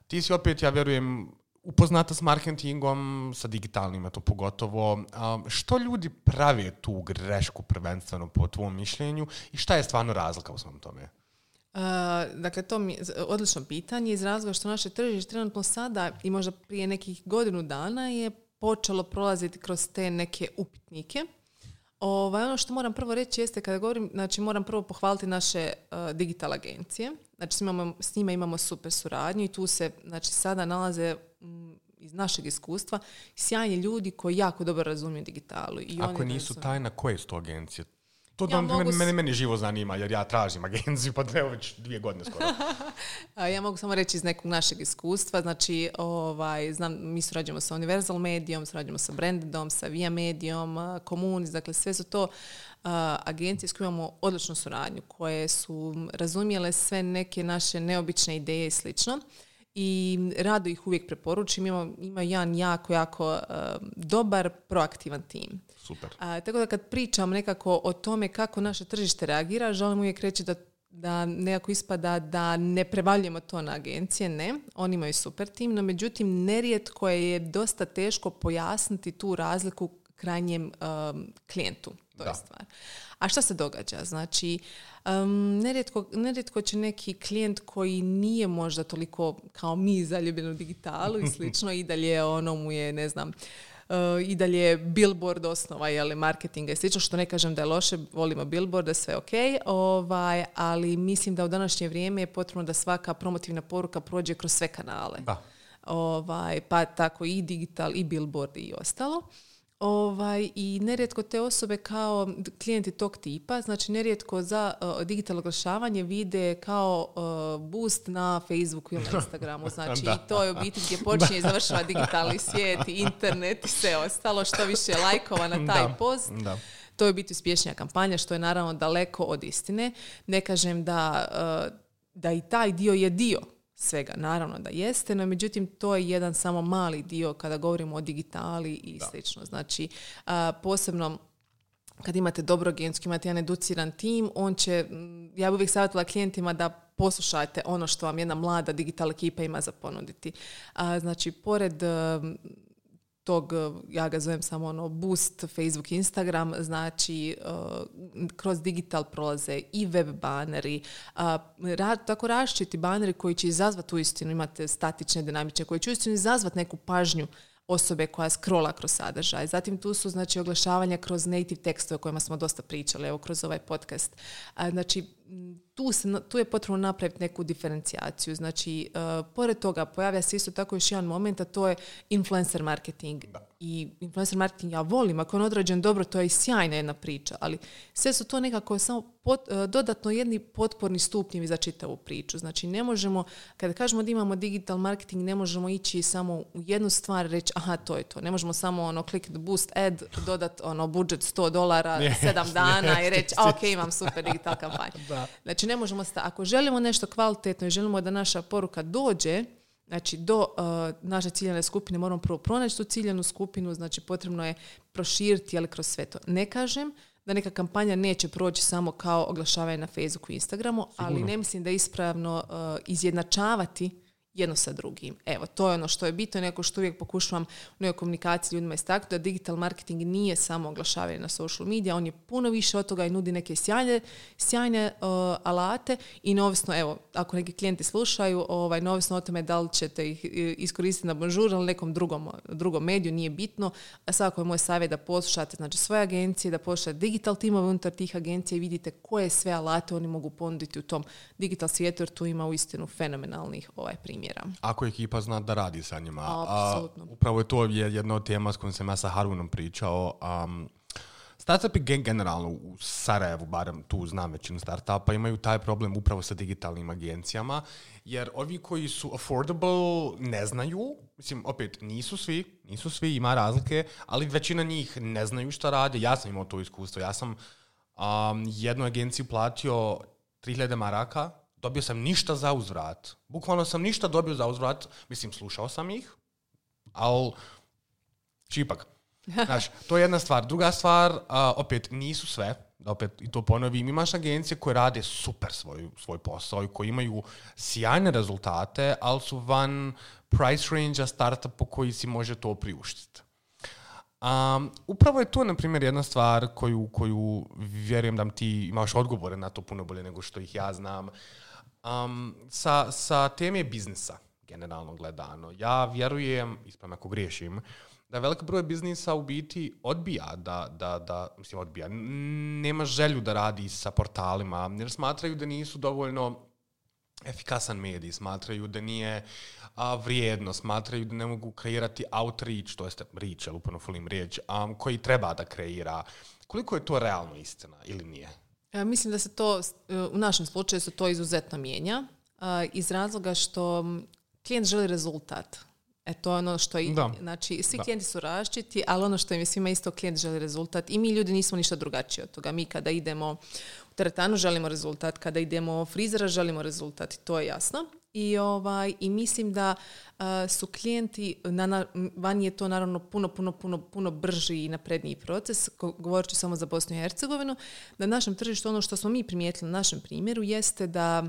Ti si opet, ja vjerujem, upoznata s marketingom, sa digitalnim, to pogotovo. Što ljudi prave tu grešku prvenstveno po tvom mišljenju i šta je stvarno razlika u svom tome? Dakle, to mi je odlično pitanje iz razloga što naše tržište trenutno sada i možda prije nekih godinu dana je počelo prolaziti kroz te neke upitnike. Ono što moram prvo reći jeste kada govorim, znači moram prvo pohvaliti naše digital agencije. Znači s njima imamo super suradnju i tu se znači sada nalaze iz našeg iskustva sjajni ljudi koji jako dobro razumiju digitalu. I ako nisu tajna, koje su to agencije? To meni živo zanima, jer ja tražim agenciju, pa evo već 2 godine skoro. Ja mogu samo reći iz nekog našeg iskustva. Znači, znam, mi surađujemo sa Universal Medijom, surađujemo sa Brandedom, sa Via Medijom, Komunis, dakle sve su to agencije s kojima imamo odličnu suradnju, koje su razumjele sve neke naše neobične ideje i slično. I rado ih uvijek preporučim. Ima jedan jako dobar, proaktivan tim. Super. Tako da kad pričam nekako o tome kako naše tržište reagira, želim uvijek reći da nekako ispada da ne prevaljujemo to na agencije. Ne, oni imaju super tim, no međutim nerijetko je dosta teško pojasniti tu razliku krajnjem klijentu. To je stvar. A šta se događa? Znači, nerijetko će neki klijent koji nije možda toliko kao mi zaljubljen u digitalu i slično, i dalje mu je, ne znam, i dalje billboard osnova, marketinga i slično, što ne kažem da je loše, volimo billboarde, sve ok, ali mislim da u današnje vrijeme je potrebno da svaka promotivna poruka prođe kroz sve kanale. Da. Pa tako i digital, i billboard i ostalo. I nerijetko te osobe kao klijenti tog tipa, znači nerijetko za digitalno oglašavanje vide kao boost na Facebooku ili na Instagramu. Znači i to je u biti gdje počinje i završava digitalni svijet, internet i sve ostalo, što više lajkova na taj post. Da. To je u biti uspješnija kampanja, što je naravno daleko od istine. Ne kažem da i taj dio je dio svega. Naravno da jeste, no međutim to je jedan samo mali dio kada govorimo o digitali i slično. Znači, posebno kad imate dobru agenciju, imate jedan educiran tim, on će, ja bih uvijek savjetovala klijentima da poslušajte ono što vam jedna mlada digital ekipa ima za ponuditi. Znači, pored tog, ja ga zovem samo boost, Facebook, Instagram, znači kroz digital prolaze i web baneri, tako različiti baneri koji će izazvati uistinu, imate statične, dinamične, koji će uistinu izazvati neku pažnju osobe koja scrolla kroz sadržaj. Zatim tu su znači oglašavanja kroz native tekstove o kojima smo dosta pričali, evo kroz ovaj podcast. Znači tu je potrebno napraviti neku diferencijaciju. Znači, pored toga pojavlja se isto tako još jedan moment, a to je influencer marketing. I influencer marketing ja volim, ako je on odrađen dobro, to je i sjajna jedna priča, ali sve su to nekako samo dodatno jedni potporni stupnjevi za čitavu priču. Znači, ne možemo, kada kažemo da imamo digital marketing, ne možemo ići samo u jednu stvar reći, aha, to je to. Ne možemo samo click the boost ad, dodat budžet $100, 7 dana i reći, ok, imam super digital kampanju. Znači, ne možemo, ako želimo nešto kvalitetno i želimo da naša poruka dođe, znači do naše ciljane skupine, moramo prvo pronaći tu ciljanu skupinu, znači potrebno je proširiti, ali kroz sve to. Ne kažem da neka kampanja neće proći samo kao oglašavanje na Facebooku i Instagramu, ali ne mislim da je ispravno izjednačavati jedno sa drugim. Evo, to je ono što je bitno, neko što uvijek pokušavam u nekoj komunikaciji ljudima istaknuti, da digital marketing nije samo oglašavanje na social media, on je puno više od toga i nudi neke sjajne alate i neovisno, evo, ako neki klijenti slušaju, neovisno o tome da li ćete ih iskoristiti na Bonjour ili nekom drugom mediju, nije bitno. Svakako je moj savjet da poslušate znači, svoje agencije, da poslušate digital timove unutar tih agencija i vidite koje sve alate oni mogu ponuditi u tom digital svijetu, jer tu ima uistinu fenomenalnih primjera. Ako ekipa zna da radi sa njima. Apsolutno. Upravo je to jedna od tema s kojom sam ja sa Harunom pričao. Startupi generalno u Sarajevu, barem tu znam većinu startupa, imaju taj problem upravo sa digitalnim agencijama, jer ovi koji su affordable ne znaju, mislim, opet, nisu svi, ima razlike, ali većina njih ne znaju šta rade. Ja sam imao to iskustvo. Ja sam jednu agenciju platio 3.000 maraka, dobio sam ništa za uzvrat. Bukvalno sam ništa dobio za uzvrat. Mislim, slušao sam ih, ali čipak. Znaš, to je jedna stvar. Druga stvar, opet, nisu sve. Opet, i to ponovim, imaš agencije koje rade super svoj posao i koji imaju sjajne rezultate, ali su van price range-a startupa koji si može to priuštiti. Upravo je to, na primjer, jedna stvar koju vjerujem da ti imaš odgovore na to puno bolje nego što ih ja znam. Sa teme biznisa, generalno gledano, ja vjerujem, ispravno ako griješim, da velik broj biznisa u biti odbija odbija, nema želju da radi sa portalima, jer smatraju da nisu dovoljno efikasan medij, smatraju da nije vrijedno, smatraju da ne mogu kreirati outreach, to jest reach, ali upravo volim riječ, koji treba da kreira. Koliko je to realno istina ili nije? Mislim da se to, u našem slučaju se to izuzetno mijenja, iz razloga što klijent želi rezultat. To je ono što znači, svi klijenti su različiti, ali ono što im je svima isto, klijent želi rezultat i mi ljudi nismo ništa drugačiji od toga. Mi kada idemo u teretanu želimo rezultat, kada idemo u frizera želimo rezultat, to je jasno. I mislim da su klijenti, vani je to naravno puno brži i napredniji proces, govorit ću samo za Bosnu i Hercegovinu, na našem tržištu ono što smo mi primijetili na našem primjeru jeste da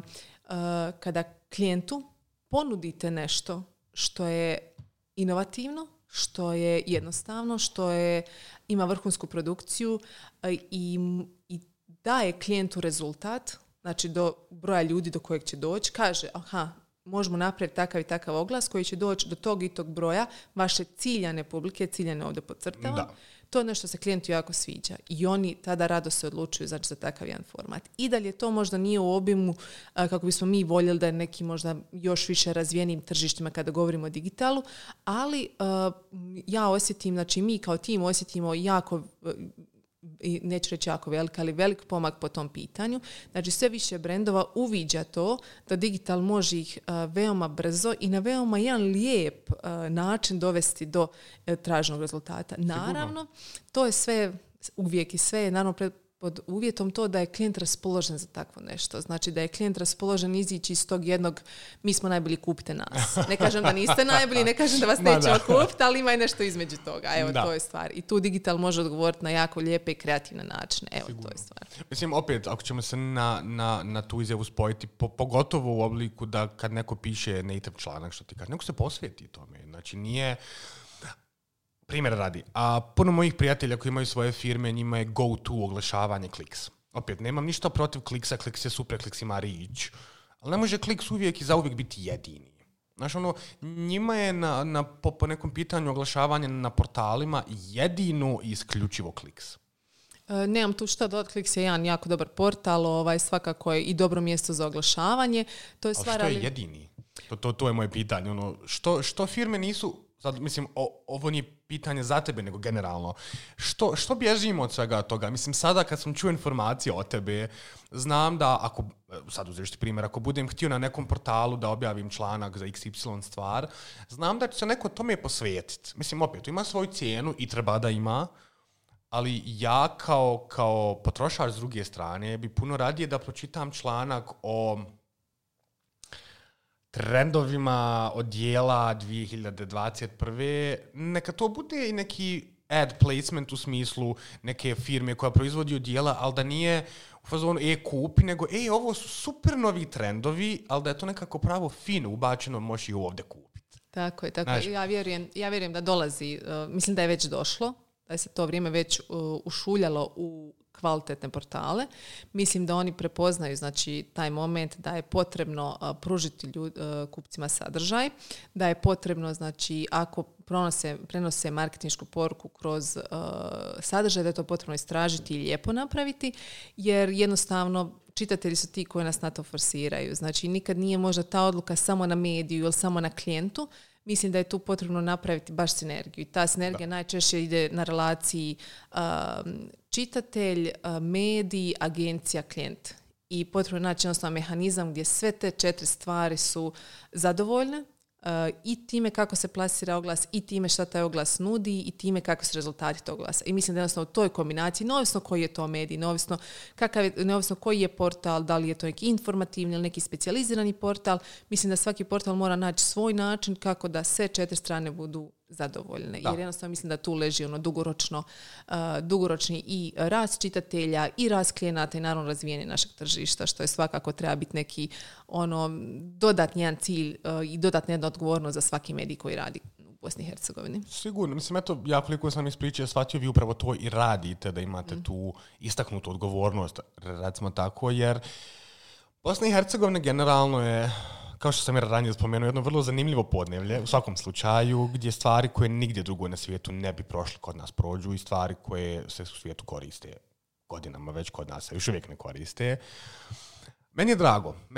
kada klijentu ponudite nešto što je inovativno, što je jednostavno, što ima vrhunsku produkciju i daje klijentu rezultat, znači do broja ljudi do kojeg će doći, kaže, možemo napraviti takav i takav oglas koji će doći do tog i tog broja vaše ciljane publike, ciljane ovdje podcrtavam. To je nešto se klijentu jako sviđa i oni tada rado se odlučuju za takav jedan format. I dalje to možda nije u obimu kako bismo mi voljeli da je neki možda još više razvijenim tržištima kada govorimo o digitalu, ali ja osjetim, znači mi kao tim osjetimo jako, neću reći jako velik, ali velik pomak po tom pitanju. Znači sve više brendova uviđa to da digital može ih veoma brzo i na veoma jedan lijep način dovesti do traženog rezultata. Naravno, to je sve uvijek i sve je naravno pod uvjetom to da je klijent raspoložen za takvo nešto. Znači da je klijent raspoložen izići iz tog jednog mi smo najbolji, kupite nas. Ne kažem da niste najbolji, ne kažem da vas nećemo kupiti, ali ima i nešto između toga. Evo, to je stvar. I tu digital može odgovoriti na jako lijepe i kreativne načine. Evo, sigurno. To je stvar. Mislim, opet, ako ćemo se na tu izjavu spojiti, pogotovo u obliku da kad neko piše native članak, što ti kaže, neko se posvijeti tome. Znači, nije... Primjer radi, a puno mojih prijatelja koji imaju svoje firme, njima je go-to oglašavanje Kliks. Opet, nemam ništa protiv Kliksa, Kliks je super, Kliks ima reach, ali ne može Kliks uvijek i zauvijek biti jedini. Znaš, njima je po nekom pitanju oglašavanja na portalima jedino i isključivo Kliks. Nemam tu šta dodati, Kliks je jedan jako dobar portal, svakako je i dobro mjesto za oglašavanje. To je stvar, ali što je jedini? To je moje pitanje. Što firme nisu... Sad, mislim, ovo nije pitanje za tebe, nego generalno. Što bježimo od svega toga? Mislim, sada kad sam čuo informacije o tebe, znam da sad uzeš ti primjer, ako budem htio na nekom portalu da objavim članak za XY stvar, znam da će se neko tome posvetiti. Mislim, opet, ima svoju cijenu i treba da ima, ali ja kao potrošač s druge strane bi puno radije da pročitam članak o trendovima odjela 2021. Neka to bude i neki ad placement u smislu neke firme koja proizvodi odjela, ali da nije u fazonu kupi, nego ovo su super novi trendovi, ali da je to nekako pravo fino ubačeno, možeš i ovdje kupiti. Tako je. Ja vjerujem da dolazi, mislim da je već došlo, da je se to vrijeme već ušuljalo u kvalitetne portale. Mislim da oni prepoznaju, znači, taj moment da je potrebno pružiti kupcima sadržaj, da je potrebno, znači, ako prenose marketinšku poruku kroz sadržaj, da je to potrebno istražiti i lijepo napraviti, jer jednostavno čitatelji su ti koji nas na to forsiraju. Znači, nikad nije možda ta odluka samo na mediju ili samo na klijentu. Mislim da je tu potrebno napraviti baš sinergiju. I ta sinergija najčešće ide na relaciji čitatelj, medij, agencija, klijent. I potrebno je naći jednostavno mehanizam gdje sve te 4 stvari su zadovoljne i time kako se plasira oglas, i time šta taj oglas nudi, i time kako su rezultati tog oglasa. I mislim da jednostavno u toj kombinaciji, neovisno koji je to medij, neovisno koji je portal, da li je to neki informativni ili neki specijalizirani portal, mislim da svaki portal mora naći svoj način kako da sve 4 strane budu zadovoljne. Da. Jer jednostavno mislim da tu leži dugoročni i rast čitatelja i rast klijenata i naravno razvijanje našeg tržišta, što je svakako treba biti neki dodatni jedan cilj i dodatna jedna odgovornost za svaki medij koji radi u Bosni i Hercegovini. Sigurno. Mislim, ja koliko sam ispričao, shvatio, vi upravo to i radite, da imate tu istaknutu odgovornost, recimo tako, jer Bosna i Hercegovina generalno je, kao što sam jer ranije spomenuo, jedno vrlo zanimljivo podneblje, u svakom slučaju, gdje stvari koje nigdje drugo na svijetu ne bi prošli kod nas prođu i stvari koje se u svijetu koriste godinama, već kod nas se još uvijek ne koriste. Meni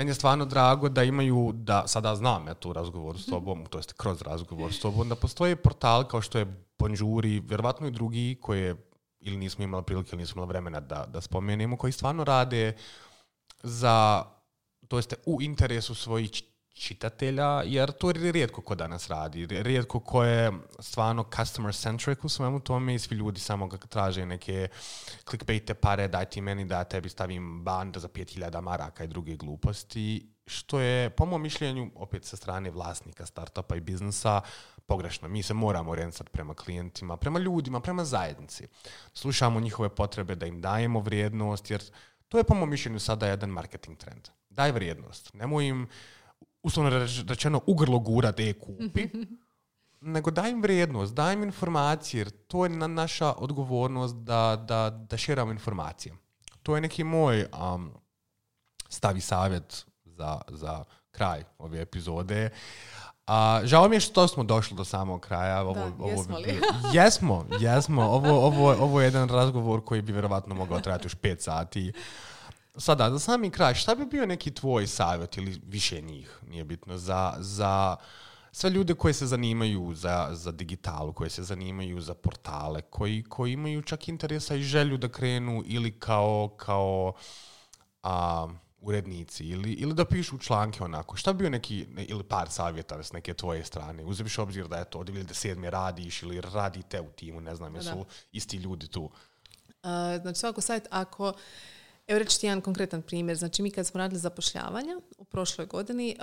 je stvarno drago da imaju, da sada znam tu razgovor s tobom, to jest kroz razgovor s tobom, da postoje portal kao što je Bonjour i vjerovatno i drugi koje ili nismo imali prilike ili nismo imali vremena da spomenemo, koji stvarno rade to jest u interesu svojih čitatelja, jer to rijetko ko danas radi. Rijetko ko je stvarno customer centric u svemu tome i svi ljudi samo ga traže neke clickbaite pare, daj ti meni da tebi stavim band za 5.000 maraka i druge gluposti, što je, po mom mišljenju, opet sa strane vlasnika startupa i biznisa, pogrešno. Mi se moramo orijentisati prema klijentima, prema ljudima, prema zajednici. Slušamo njihove potrebe da im dajemo vrijednost, jer to je, po mom mišljenju, sada jedan marketing trend. Daj vrijednost. Nemoj im uslovno rečeno ugrlo gurat kupi, nego daj im vrijednost, daj im informacije, jer to je naša odgovornost da širamo informacije. To je neki moj stav i savjet za kraj ove epizode. Žao mi je što smo došli do samog kraja. Jesmo li? Jesmo. Ovo je jedan razgovor koji bi vjerovatno mogao trajati još 5 sati. Sada, za sami kraj, šta bi bio neki tvoj savjet ili više njih, nije bitno, za sve ljude koji se zanimaju za digitalu, koji se zanimaju za portale, koji imaju čak interesa i želju da krenu ili kao urednici ili da pišu članke onako. Šta bi bio neki, ili par savjeta s neke tvoje strane? Uzemiš obzir da je to od 2007. radiš ili radite u timu, ne znam, jesu isti ljudi tu? Znači svako sajt, ako... Evo reći ti jedan konkretan primjer. Znači mi kad smo radili zapošljavanja u prošloj godini,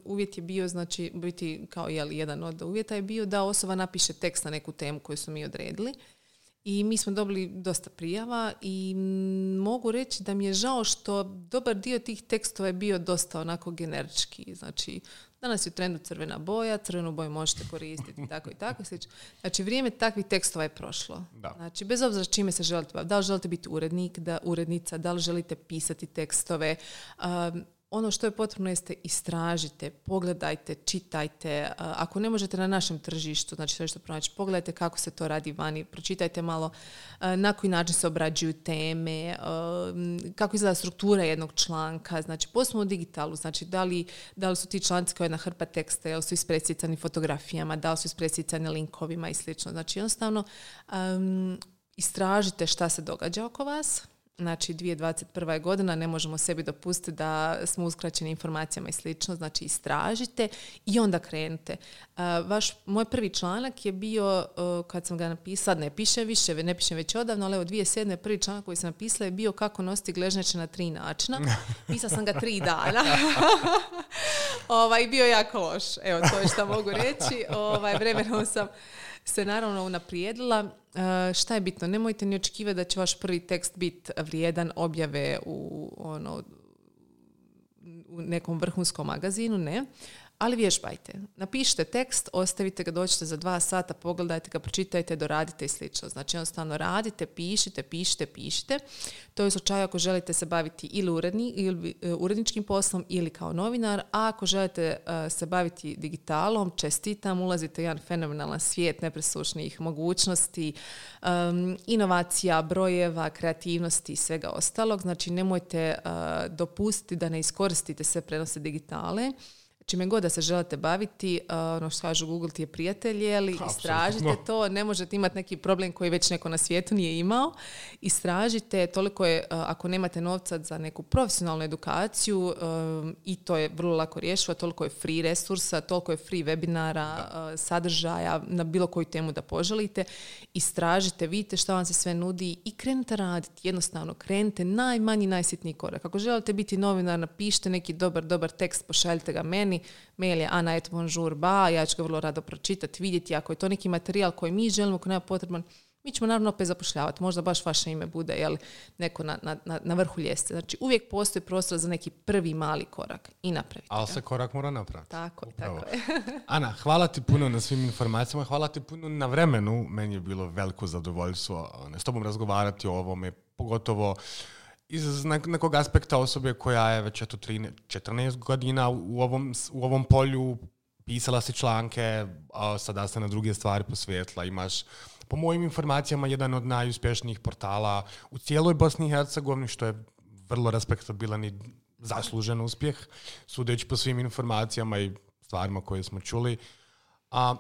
uvjet je bio, znači biti kao jedan od uvjeta je bio da osoba napiše tekst na neku temu koju smo mi odredili. I mi smo dobili dosta prijava i mogu reći da mi je žao što dobar dio tih tekstova je bio dosta onako generički. Znači, danas je u trendu crvena boja, crvenu boju možete koristiti, tako i tako. Znači, vrijeme takvih tekstova je prošlo. Da. Znači, bez obzira s čime se želite baviti. Da li želite biti urednik, urednica, da li želite pisati tekstove. Ono što je potrebno jeste istražite, pogledajte, čitajte. Ako ne možete na našem tržištu, znači sve što pronaći, pogledajte kako se to radi vani, pročitajte malo na koji način se obrađuju teme, kako izgleda struktura jednog članka, znači posebno u digitalu, znači da li su ti članci kao jedna hrpa teksta, da li su ispresicani fotografijama, da li su ispresicani linkovima i slično. Znači jednostavno istražite šta se događa oko vas. Znači, 2021. godina, ne možemo sebi dopustiti da smo uskraćeni informacijama i slično, znači istražite i onda krenite. Moj prvi članak je bio, kad sam ga napisala, ne pišem već odavno, ali evo 2007. prvi članak koji sam napisala je bio kako nositi gležnjače na 3 načina. Pisala sam ga 3 dana. Bio je jako loš. Evo, to je što mogu reći. Vremenom sam se naravno unaprijedila. Šta je bitno? Nemojte ni očekivati da će vaš prvi tekst biti vrijedan objave u nekom vrhunskom magazinu, ne. Ali vježbajte. Napišite tekst, ostavite ga, dođite za 2 sata, pogledajte ga, pročitajte, doradite i slično. Znači jednostavno radite, pišite. To je u slučaju ako želite se baviti ili uredničkim poslom ili kao novinar, a ako želite se baviti digitalom, čestitam, ulazite u jedan fenomenalan svijet nepresušnih mogućnosti, inovacija, brojeva, kreativnosti i svega ostalog. Znači nemojte dopustiti da ne iskoristite sve prenose digitale. Čime god da se želite baviti, ono što kažu Google ti je prijatelj, ali istražite to, ne možete imati neki problem koji već neko na svijetu nije imao. Istražite, toliko je, ako nemate novca za neku profesionalnu edukaciju, i to je vrlo lako rješivo, toliko je free resursa, toliko je free webinara, sadržaja, na bilo koju temu da poželite. Istražite, vidite šta vam se sve nudi i krenite raditi. Jednostavno, krenite najmanji, najsitniji korak. Ako želite biti novinar, napišite neki dobar tekst, pošaljite ga meni. Mail je ana@bonjourba, ja ću ga vrlo rado pročitati, vidjeti ako je to neki materijal koji mi želimo, koji nema potreban, mi ćemo naravno opet zapošljavati. Možda baš vaše ime bude neko na vrhu ljestve. Znači uvijek postoji prostor za neki prvi mali korak i napraviti. Ali se korak mora napraviti. Tako je. Ana, hvala ti puno na svim informacijama, hvala ti puno na vremenu. Meni je bilo veliko zadovoljstvo s tobom razgovarati o ovome, pogotovo iz nekog aspekta osobe koja je već 14 godina u ovom polju, pisala si članke, a sada se na druge stvari posvetila. Imaš, po mojim informacijama, jedan od najuspješnijih portala u cijeloj Bosni i Hercegovini, što je vrlo respektabilan i zaslužen uspjeh, sudeći po svim informacijama i stvarima koje smo čuli.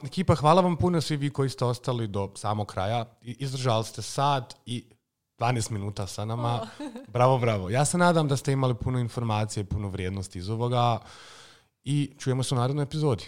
Ekipa, hvala vam puno svi vi koji ste ostali do samog kraja. Izdržali ste sat i 12 minuta sa nama. Bravo. Ja se nadam da ste imali puno informacije i puno vrijednosti iz ovoga i čujemo se u narednoj epizodi.